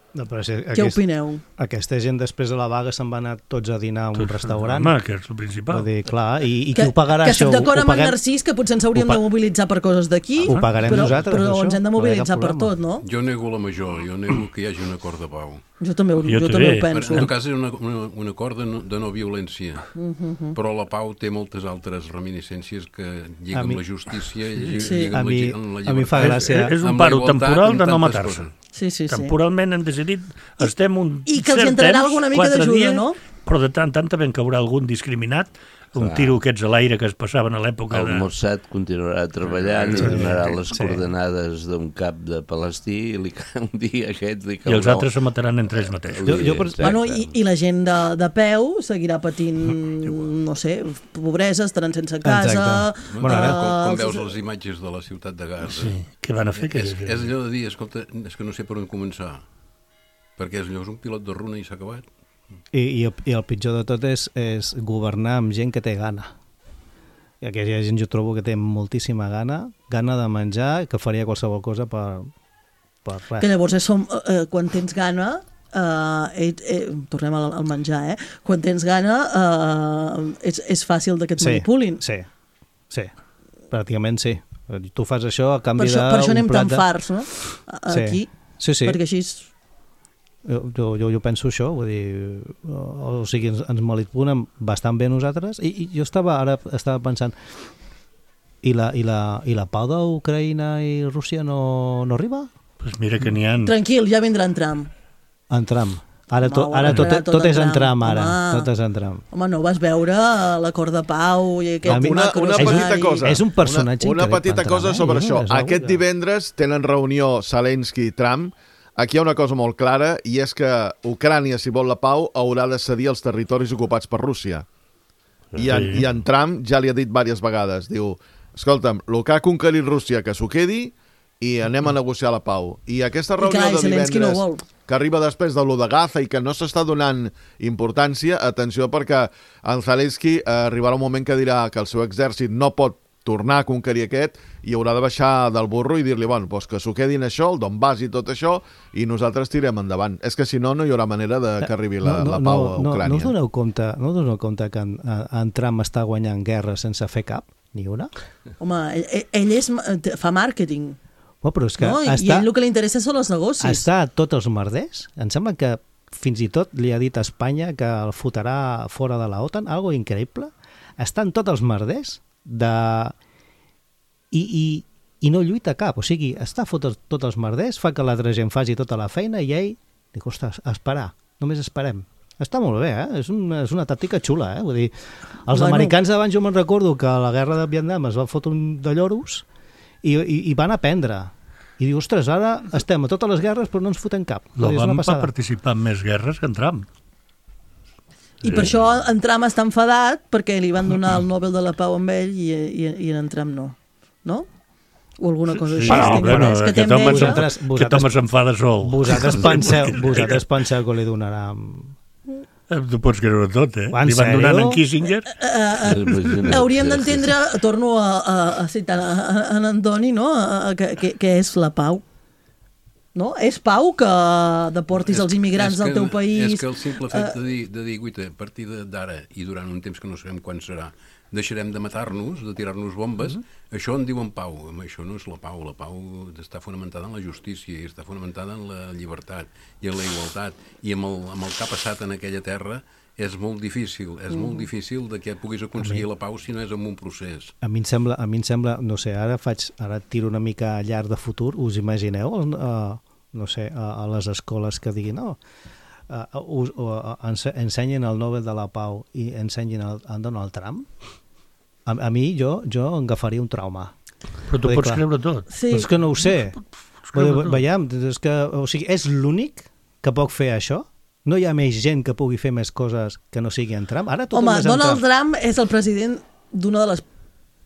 No, però si Què aquest, opineu? Aquesta gent després de la vaga se'n van anar tots a dinar a un tots, restaurant. Home, que és el principal. Dir, clar, i, i que, qui ho pagarà? Que estic d'acord amb paguem... en Narcís, que potser ens hauríem pa... de mobilitzar per coses d'aquí, ho pagarem però, nosaltres, però això? ens hem de mobilitzar per tot, no? Jo nego la major, jo nego que hi hagi un acord de pau. Jo també, jo, jo també ho penso. En tot cas, és una, una, un acord de no, de no violència, uh -huh. però la pau té moltes altres reminiscències que lliguen amb la justícia i sí. lliguen a amb, mi, la, amb la llibertat. A mi fa gràcia. És, és un paro temporal de no matar-se. Sí, sí, sí. Temporalment hem decidit, estem un I que els cert entrarà temps, alguna mica d'ajuda, no? Però de tant tant també en caurà algun discriminat, un clar. Tiro aquests a l'aire que es passaven a l'època el de... El Mossad continuarà treballant sí, i donarà les sí. coordenades d'un cap de palestí i li, un dia aquest li caurà... I els altres se mataran entre ells mateixos. Jo, jo per... bueno, i, I la gent de, de peu seguirà patint, no sé, pobresa, estaran sense casa... Uh, bueno, ara, com, com veus les imatges de la ciutat de Gaza... Sí. Què van a fer? És, és allò de dir, escolta, és que no sé per on començar, perquè és allò, és un pilot de runa i s'ha acabat. I, i, el, I el pitjor de tot és, és governar amb gent que té gana. I aquella gent jo trobo que té moltíssima gana, gana de menjar, que faria qualsevol cosa per, per res. Que llavors és som, eh, quan tens gana, eh, eh, tornem al, al menjar, eh? Quan tens gana eh, és, és fàcil que et sí, manipulin. Sí, sí, pràcticament sí. Tu fas això a canvi per això, d'un per això anem plat tan de... farts, no? Aquí. Sí, sí. Perquè així... Jo, jo, jo penso això, vull dir, o, o sigui, ens, ens malipulem bastant bé nosaltres, i, i jo estava, ara estava pensant, i la, i la, i la pau d'Ucraïna i Rússia no, no arriba? Pues mira que n'hi ha... Tranquil, ja vindrà en Trump. En Trump. Ara, Home, to, ara tot, tot, tot és en Trump, ara. Home. Tot és en Trump. Home, no vas veure l'acord de pau i aquest una, una petita cosa. És un personatge Una, una petita Trump, cosa eh? sobre això. És Aquest que... divendres tenen reunió Zelensky i Trump. Aquí hi ha una cosa molt clara, i és que Ucrània, si vol la pau, haurà de cedir els territoris ocupats per Rússia. I en, Sí. i en Trump ja li ha dit diverses vegades. Diu, escolta'm, el que ha conquerit Rússia, que s'ho quedi, i anem a negociar la pau. I aquesta I reunió clar, i de Zelensky no divendres, vol. que arriba després de lo de Gaza i que no s'està donant importància, atenció, perquè en Zelensky eh, arribarà un moment que dirà que el seu exèrcit no pot tornar a conquerir aquest i haurà de baixar del burro i dir-li, bueno, doncs que s'ho quedin això, el Donbass i tot això, i nosaltres tirem endavant. És que si no, no hi haurà manera de que arribi la, no, no, la pau a no, Ucrània. No us doneu compte, no us doneu compte que en, en Trump està guanyant guerra sense fer cap? Ni una? Home, ell, ell és, fa màrqueting. Oh, però és que No? I, està, I ell el que li interessa són els negocis. està a tots els merders. Em sembla que fins i tot li ha dit a Espanya que el fotrà fora de la OTAN, algo increïble. Està en tots els merders de... I, i, i no lluita cap, o sigui, està a fotre tots els merders, fa que l'altra gent faci tota la feina i ell dic, ostres, esperar, només esperem. Està molt bé, eh? És una, és una tàctica xula, eh? Vull dir, els Bueno. americans d'abans jo me'n recordo que a la guerra de Vietnam es va fotre un de lloros i, i, i van aprendre. I diu, ostres, ara estem a totes les guerres però no ens fotem cap. Vull dir, és una L'Obama va passada. participar en més guerres que en Trump. I per això en Trump està enfadat perquè li van donar el Nobel de la Pau amb ell i, i, i en Trump no. No? O alguna cosa Sí, així. no, Tinc bueno, entès que té aquest home enveja. s'enfada- aquest home s'enfada sol. Vosaltres penseu, vosaltres penseu que li donarà... Eh, Tu pots creure tot, eh? En Li van sèrio? donant en Kissinger. Uh, hauríem d'entendre, torno a, a, a citar a, a, en Antoni, no? A, a, que, que, que és la pau. No? És pau que deportis els immigrants És del que- teu país. És que el simple fet eh, de dir, de dir guita, a partir de- d'ara i durant un temps que no sabem quan serà, deixarem de matar-nos, de tirar-nos bombes, Mm-hmm. això en diuen pau. Home, això no és la pau. La pau està fonamentada en la justícia i està fonamentada en la llibertat i en la igualtat. I amb el, amb el que ha passat en aquella terra és molt difícil. És molt Mm. difícil de que puguis aconseguir la pau si no és amb un procés. A mi em sembla, a mi em sembla no sé, ara faig, ara tiro una mica llarg de futur, us imagineu, uh, no sé, a, a les escoles que diguin, no, uh, us, uh, ense ensenyen el Nobel de la Pau i ensenyen el, en Donald Trump? A, a mi, jo, jo em agafaria un trauma. Però tu Vull dir, pots clar, creure tot. Sí. És que no ho sé. Vull dir, creure tot. veiem, és que, o sigui, és l'únic que pot fer això? No hi ha més gent que pugui fer més coses que no sigui en Trump? Ara tot Home, és en Donald Trump. Trump és el president d'una de les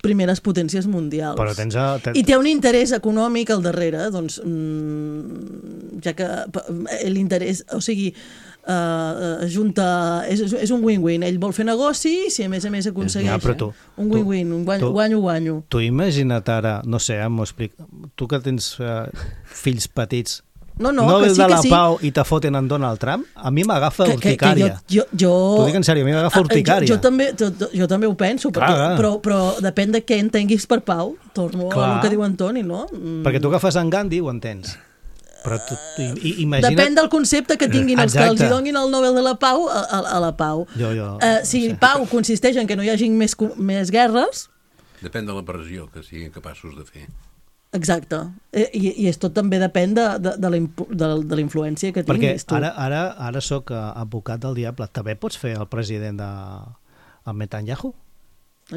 primeres potències mundials. Però tens... A, ten... I té un interès econòmic al darrere, doncs, mmm, ja que p- l'interès, o sigui, uh, junta, és, és un win-win. Ell vol fer negoci, si a més a més aconsegueix Ja, però tu- un win-win, un guanyo, tu- guanyo, guanyo. Tu imagina't ara, no sé, eh, m'ho explic, tu que tens uh, fills petits, No, no, Nobel que sí, de que la sí. Pau i te foten en Donald Trump, a mi m'agafa Que, que, que urticària. jo, jo, jo... T'ho dic en sèrio, a mi m'agafa Ah, urticària. Jo, jo, també, jo, jo també ho penso, perquè, Clar, clar. però, però depèn de què entenguis per pau. Torno Clar. al que diu Antoni, no? Mm. Perquè tu agafes en Gandhi, ho entens. Però tu, tu i- imagina't... Depèn del concepte que tinguin els que els Exacte. hi donin el Nobel de la Pau a, a, a la pau. Jo, jo, Uh, si no sé. pau consisteix en que no hi hagi més, co- més guerres, Depèn de la pressió que siguin capaços de fer. exacte. Eh, I, I és tot també depèn de, de, de la impu- de, de la influència que Perquè tinguis tu. ara, ara, ara sóc eh, advocat del diable. També pots fer el president de el Netanyahu?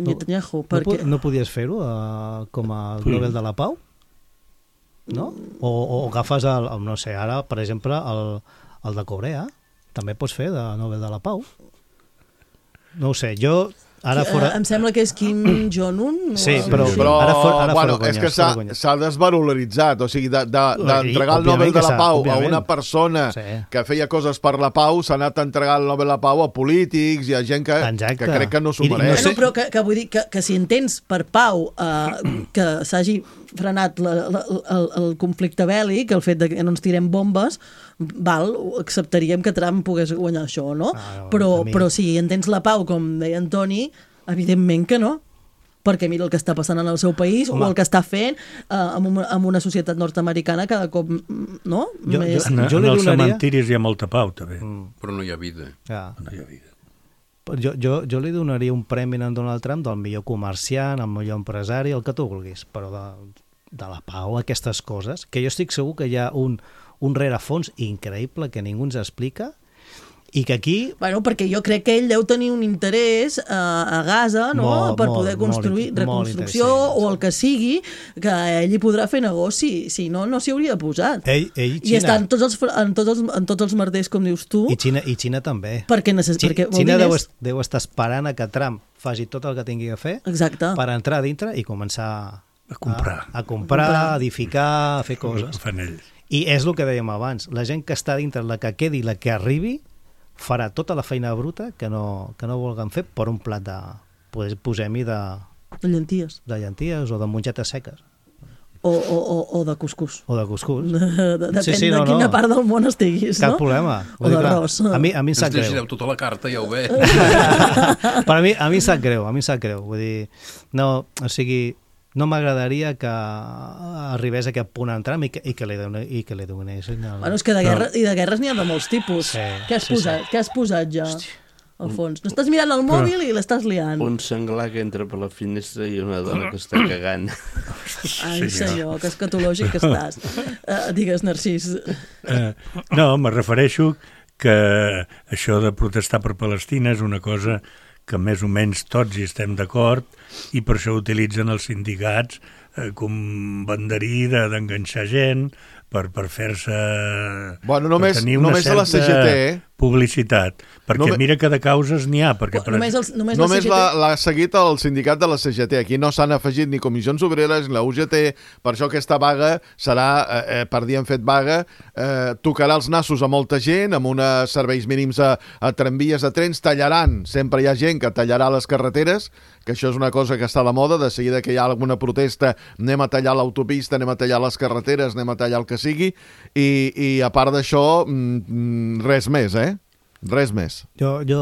En Netanyahu, No, perquè... po- no podies fer-ho uh, com a Sí. Nobel de la Pau? No? O, o agafes el, el, no sé, ara, per exemple, el, el de Corea, també pots fer de Nobel de la Pau. No ho sé, jo ara Eh, fora... em sembla que és Kim Jong-un. o Sí, algo però- així. Però, Ara fora- ara bueno, fora és conya, que s'ha fora conya. s'ha desvaloritzat, o sigui, d'entregar de, de, d'entregar el Òbviament Nobel de que la s'ha, Pau a òbviament. una persona Sí. que feia coses per la pau, s'ha anat a entregar el Nobel de la Pau a polítics i a gent que, Exacte. que crec que no s'ho I- i no mereix. sé- Bueno, però que, que vull dir que, que si entens per pau eh, que s'hagi frenat la, la, el, el conflicte bèl·lic, el fet de que no ens tirem bombes, val, ho acceptaríem que Trump pogués guanyar això, no? Ah, però, a mi- però si entens la pau, com deia Antoni, evidentment que no. perquè mira el que està passant en el seu país Home. o el que està fent eh, amb, una, amb una societat nord-americana cada cop, no? Jo, Més... jo, en, jo en els donaria... cementiris hi ha molta pau, també. Mm. Però no hi ha vida. Ja. No hi ha vida. Jo, jo, jo li donaria un premi a Donald Trump del millor comerciant, el millor empresari, el que tu vulguis, però de, de la pau, aquestes coses, que jo estic segur que hi ha un, un rerefons increïble que ningú ens explica, i que aquí... Bueno, perquè jo crec que ell deu tenir un interès a, a Gaza, no?, molt, per molt, poder construir molt, reconstrucció molt o el que sigui, que ell hi podrà fer negoci, si no, no s'hi hauria posat. Ell, ell, I està en tots, els, en, tots els, en tots els merders, com dius tu. I Xina, i Xina també. Perquè, necess... Xina, perquè Xina deu, diners... deu estar esperant a que Trump faci tot el que tingui a fer Exacte. per entrar a dintre i començar a comprar, a, a, comprar, a edificar, a fer coses. I és el que dèiem abans, la gent que està dintre, la que quedi, la que arribi, farà tota la feina bruta que no, que no vulguem fer per un plat de... posem-hi de... De llenties. De llenties o de mongetes seques. O, o, o, o de cuscús. O de cuscús. De, de, depèn sí, sí, no, de quina no. part del món estiguis, Cap no? problema. O d'arròs. A mi, a mi em sap greu. Ens llegireu tota la carta, ja ho ve. Per a mi, a mi em sap greu, a mi em sap greu. Vull dir, no, o sigui, no m'agradaria que arribés a aquest punt en Trump i que, i que li, doni, i que li donessin... El... Bueno, és que de, guerra, i de guerres n'hi ha de molts tipus. Sí, què, has sí, posat? sí. què has posat ja, Hosti. al fons? No estàs mirant el mòbil Però... i l'estàs liant. Un senglar que entra per la finestra i una dona que està cagant. Ai, senyor, que escatològic que estàs. Uh, digues, Narcís. Uh, no, me refereixo que això de protestar per Palestina és una cosa que més o menys tots hi estem d'acord i per això utilitzen els sindicats eh, com banderí d'enganxar gent per, per fer-se... Bueno, només, per tenir una només certa a la C G T, eh? publicitat. Perquè Només... mira que de causes n'hi ha. Perquè, per... Només, els, només, només la C G T... l'ha seguit el sindicat de la C G T. Aquí no s'han afegit ni comissions obreres ni la U G T. Per això aquesta vaga serà, eh, per dir han fet vaga, eh, tocarà els nassos a molta gent, amb uns serveis mínims a, a tramvies, a trens, tallaran. Sempre hi ha gent que tallarà les carreteres, que això és una cosa que està de moda. De seguida que hi ha alguna protesta, anem a tallar l'autopista, anem a tallar les carreteres, anem a tallar el que sigui. I, i a part d'això, res més, eh? Res més. Jo, jo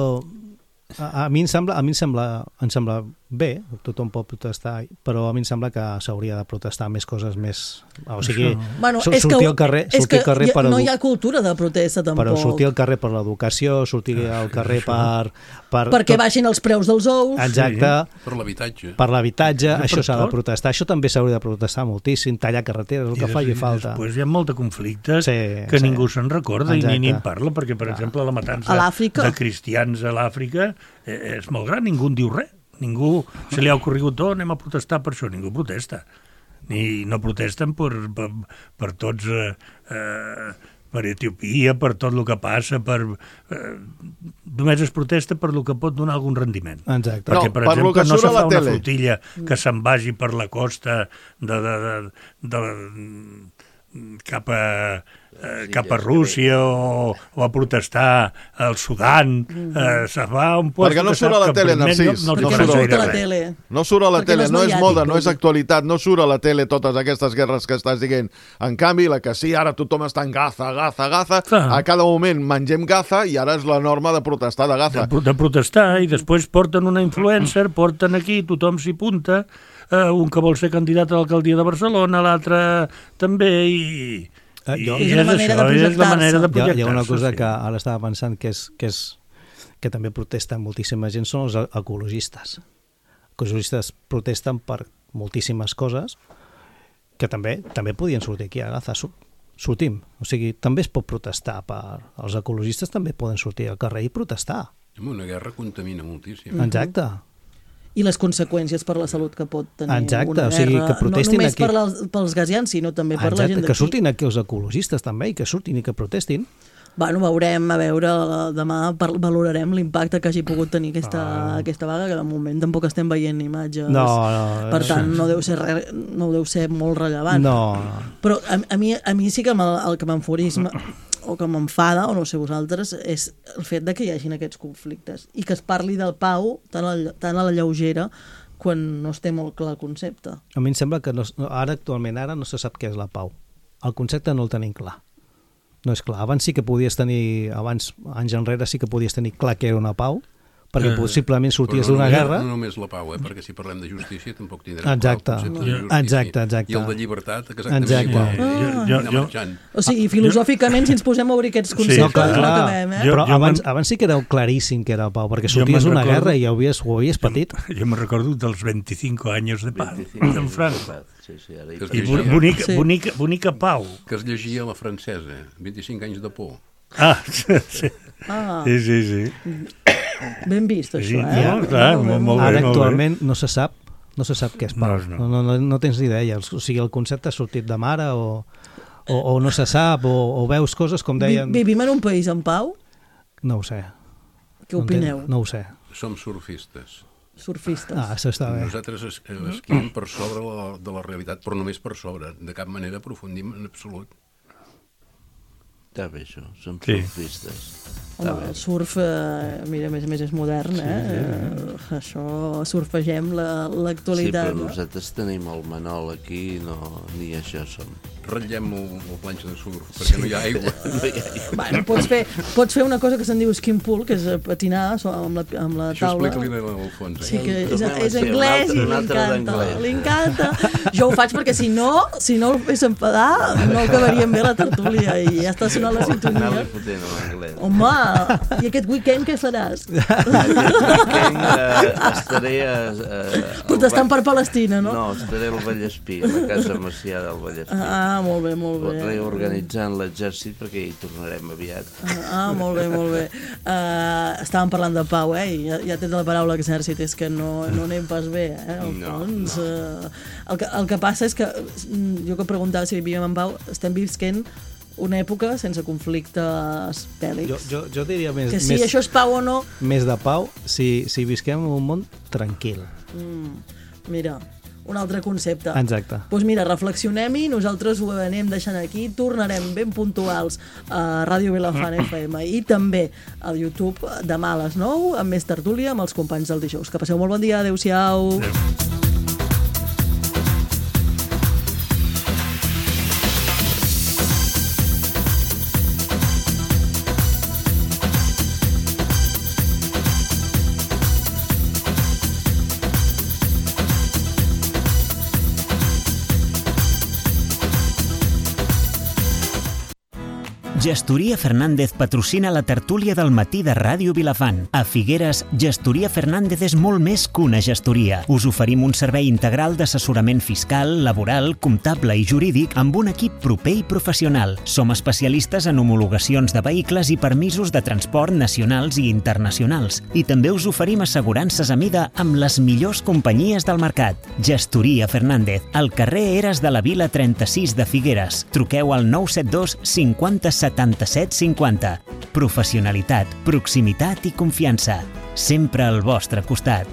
a, a mi em sembla, a mi em sembla, em sembla bé, tothom pot protestar, però a mi em sembla que s'hauria de protestar més coses més... O sigui, bueno, sortir és que, al carrer, és sortir que al carrer per no hi ha cultura de protesta, tampoc. Però sortir al carrer per l'educació, sortir al carrer per... per Perquè tot... baixin els preus dels ous. Exacte. Sí, per l'habitatge. Per l'habitatge, sí, això s'ha de tot. protestar. Això també s'hauria de protestar moltíssim, tallar carreteres, el que I faci des, falta. Després hi ha molt de conflictes sí, que sí. ningú se'n recorda Exacte. i ni, ni en parla, perquè, per exemple, la matança de cristians a l'Àfrica eh, és molt gran, ningú en diu res. Ningú se li ha ocorregut, oh, anem a protestar per això. Ningú protesta. Ni no protesten per, per, per tots... Eh, eh, per Etiòpia, per tot el que passa, per... Eh, només es protesta per el que pot donar algun rendiment. Exacte. Perquè, No, per per exemple, no se fa una tele. flotilla que se'n vagi per la costa de, de, de, de, de cap a, eh, cap a Rússia o, o a protestar al Sudan. Eh, se va a un lloc Perquè no que surt a sap la que tele, primer Narcís. no, No, no, surt surt a a la res. tele. No surt a la Perquè tele, no no és és mediàtic, moda, no és vol dir. actualitat, no surt a la tele totes aquestes guerres que estàs dient. En canvi, la que sí, ara tothom està en Gaza, Gaza, Gaza, Clar. a cada moment mengem Gaza i ara és la norma de protestar de Gaza. de, de protestar, i després porten una influencer, porten aquí, tothom s'hi punta, eh, un que vol ser candidat a l'alcaldia de Barcelona, l'altre també, i... Eh, jo- I És una és manera això, de és la manera de Hi ha, hi ha una projectar-se, cosa sí. que ara estava pensant que és, que és que també protesten moltíssima gent, són els ecologistes. Els ecologistes protesten per moltíssimes coses que també també podien sortir aquí a Gaza. Sortim. O sigui, també es pot protestar per... Els ecologistes també poden sortir al carrer i protestar. Una guerra contamina moltíssim. Exacte. I les conseqüències per la salut que pot tenir Exacte, una o sigui, guerra, que protestin no només aquí. per les, pels gazians, sinó també per la Exacte, gent que d'aquí. surtin aquí els ecologistes també, i que surtin i que protestin. Bueno, veurem, a veure, demà per, valorarem l'impacte que hagi pogut tenir aquesta, Ah. aquesta vaga, que de moment tampoc estem veient imatges. No, no. Per tant, no deu ser, re, no deu ser molt rellevant. No, no. Però a, a, mi, a mi sí que me, el que m'enfurisma o que m'enfada, o no sé vosaltres, és el fet de que hi hagin aquests conflictes i que es parli del pau tan a, tan a la lleugera quan no es té molt clar el concepte. A mi em sembla que no, ara actualment ara no se sap què és la pau. El concepte no el tenim clar. No és clar. Abans sí que podies tenir, abans, anys enrere sí que podies tenir clar que era una pau, perquè Eh, possiblement sorties però no d'una només- guerra... No només la pau, eh? Perquè si parlem de justícia tampoc tindrem Exacte. clar el concepte de justícia. Exacte, exacte. I el de llibertat exactament Exacte. igual. Ah. I Jo- anar jo- marxant. O sigui, filosòficament, si ens posem a obrir aquests conceptes, no, clar, no clar. acabem, eh? Però Jo- jo abans, me'n- abans sí que era claríssim que era pau, perquè Jo sorties me'n d'una recordo- guerra i ho havies, ho havies patit. Jo me recordo dels veinticinco anys de pau veinticinco en França. Sí, sí, ara hi Que es I llegia- bo- bonica, bonica, bonica pau. Que es llegia a la francesa, vint-i-cinc anys de por. Ah, sí. Ah. Sí, sí, sí. Ben vist, això, Sí, eh? no, clar, molt, molt bé, Ara molt bé. actualment no se sap no se sap què és pau. No, No, no, no, no tens ni idea. O sigui, el concepte ha sortit de mare o, o, o no se sap o, o veus coses com Vi- deien... Vivim en un país en pau? No ho sé. Què No opineu? entenc, No ho sé. Som surfistes. Surfistes. Ah, això està bé. Nosaltres es- esquiem per sobre la, de la realitat, però només per sobre. De cap manera aprofundim en absolut. Està bé, això. Som Sí. surfistes. Home, el surf, eh, mira, a més a més és modern, eh? eh? Això, surfegem la- Sí, l'actualitat. però no? nosaltres tenim el Manol aquí, no, ni això som. Ratllem el, el planxa de surf, perquè no hi ha aigua. No hi ha aigua. Bueno, pots fer, pots fer una cosa que se'n diu skin pool, que és eh, patinar so- amb la, amb la Això taula. explica-li a l'Alfons. Sí, que és, Tornem a és ser un anglès altre- i un altre m'encanta. d'anglès. L'incanta. Jo ho faig perquè si no, si no el fes enfadar, no acabaríem bé la tertúlia i ja està sonant la sintonia. Anar-li fotent a l'anglès. Home, i aquest weekend què faràs? Aquest weekend eh, estaré a... a Protestant per Palestina, no? No, estaré al Vallespí, a la casa Macià del Vallespí. Ah, molt bé, molt bé. Reorganitzant l'exèrcit perquè hi tornarem aviat. Ah, molt bé, molt bé. Uh, estàvem parlant de pau, eh? I ja, ja tens la paraula exèrcit, és que no, no anem pas bé, eh? Al No, fons, uh, el, que, el que passa és que, mm, jo que preguntava si vivíem en pau, estem visquent una època sense conflictes bèl·lics. Jo, jo, jo diria més, Que si més, això és pau o no... més de pau si, si visquem en un món tranquil. Mm, mira, un altre concepte. Exacte. Doncs mira, reflexionem-hi, nosaltres ho anem deixant aquí, tornarem ben puntuals a Ràdio Vilafant F M i també al YouTube demà a les nou amb més tertúlia amb els companys del dijous. Que passeu molt bon dia, adeu-siau. Adéu. Gestoria Fernández patrocina la tertúlia del matí de Ràdio Vilafant. A Figueres, Gestoria Fernández és molt més que una gestoria. Us oferim un servei integral d'assessorament fiscal, laboral, comptable i jurídic amb un equip proper i professional. Som especialistes en homologacions de vehicles i permisos de transport nacionals i internacionals. I també us oferim assegurances a mida amb les millors companyies del mercat. Gestoria Fernández, al carrer Eres de la Vila trenta-sis de Figueres. Truqueu al nou set dos cinquanta setanta-set cinquanta. Professionalitat, proximitat i confiança. Sempre al vostre costat.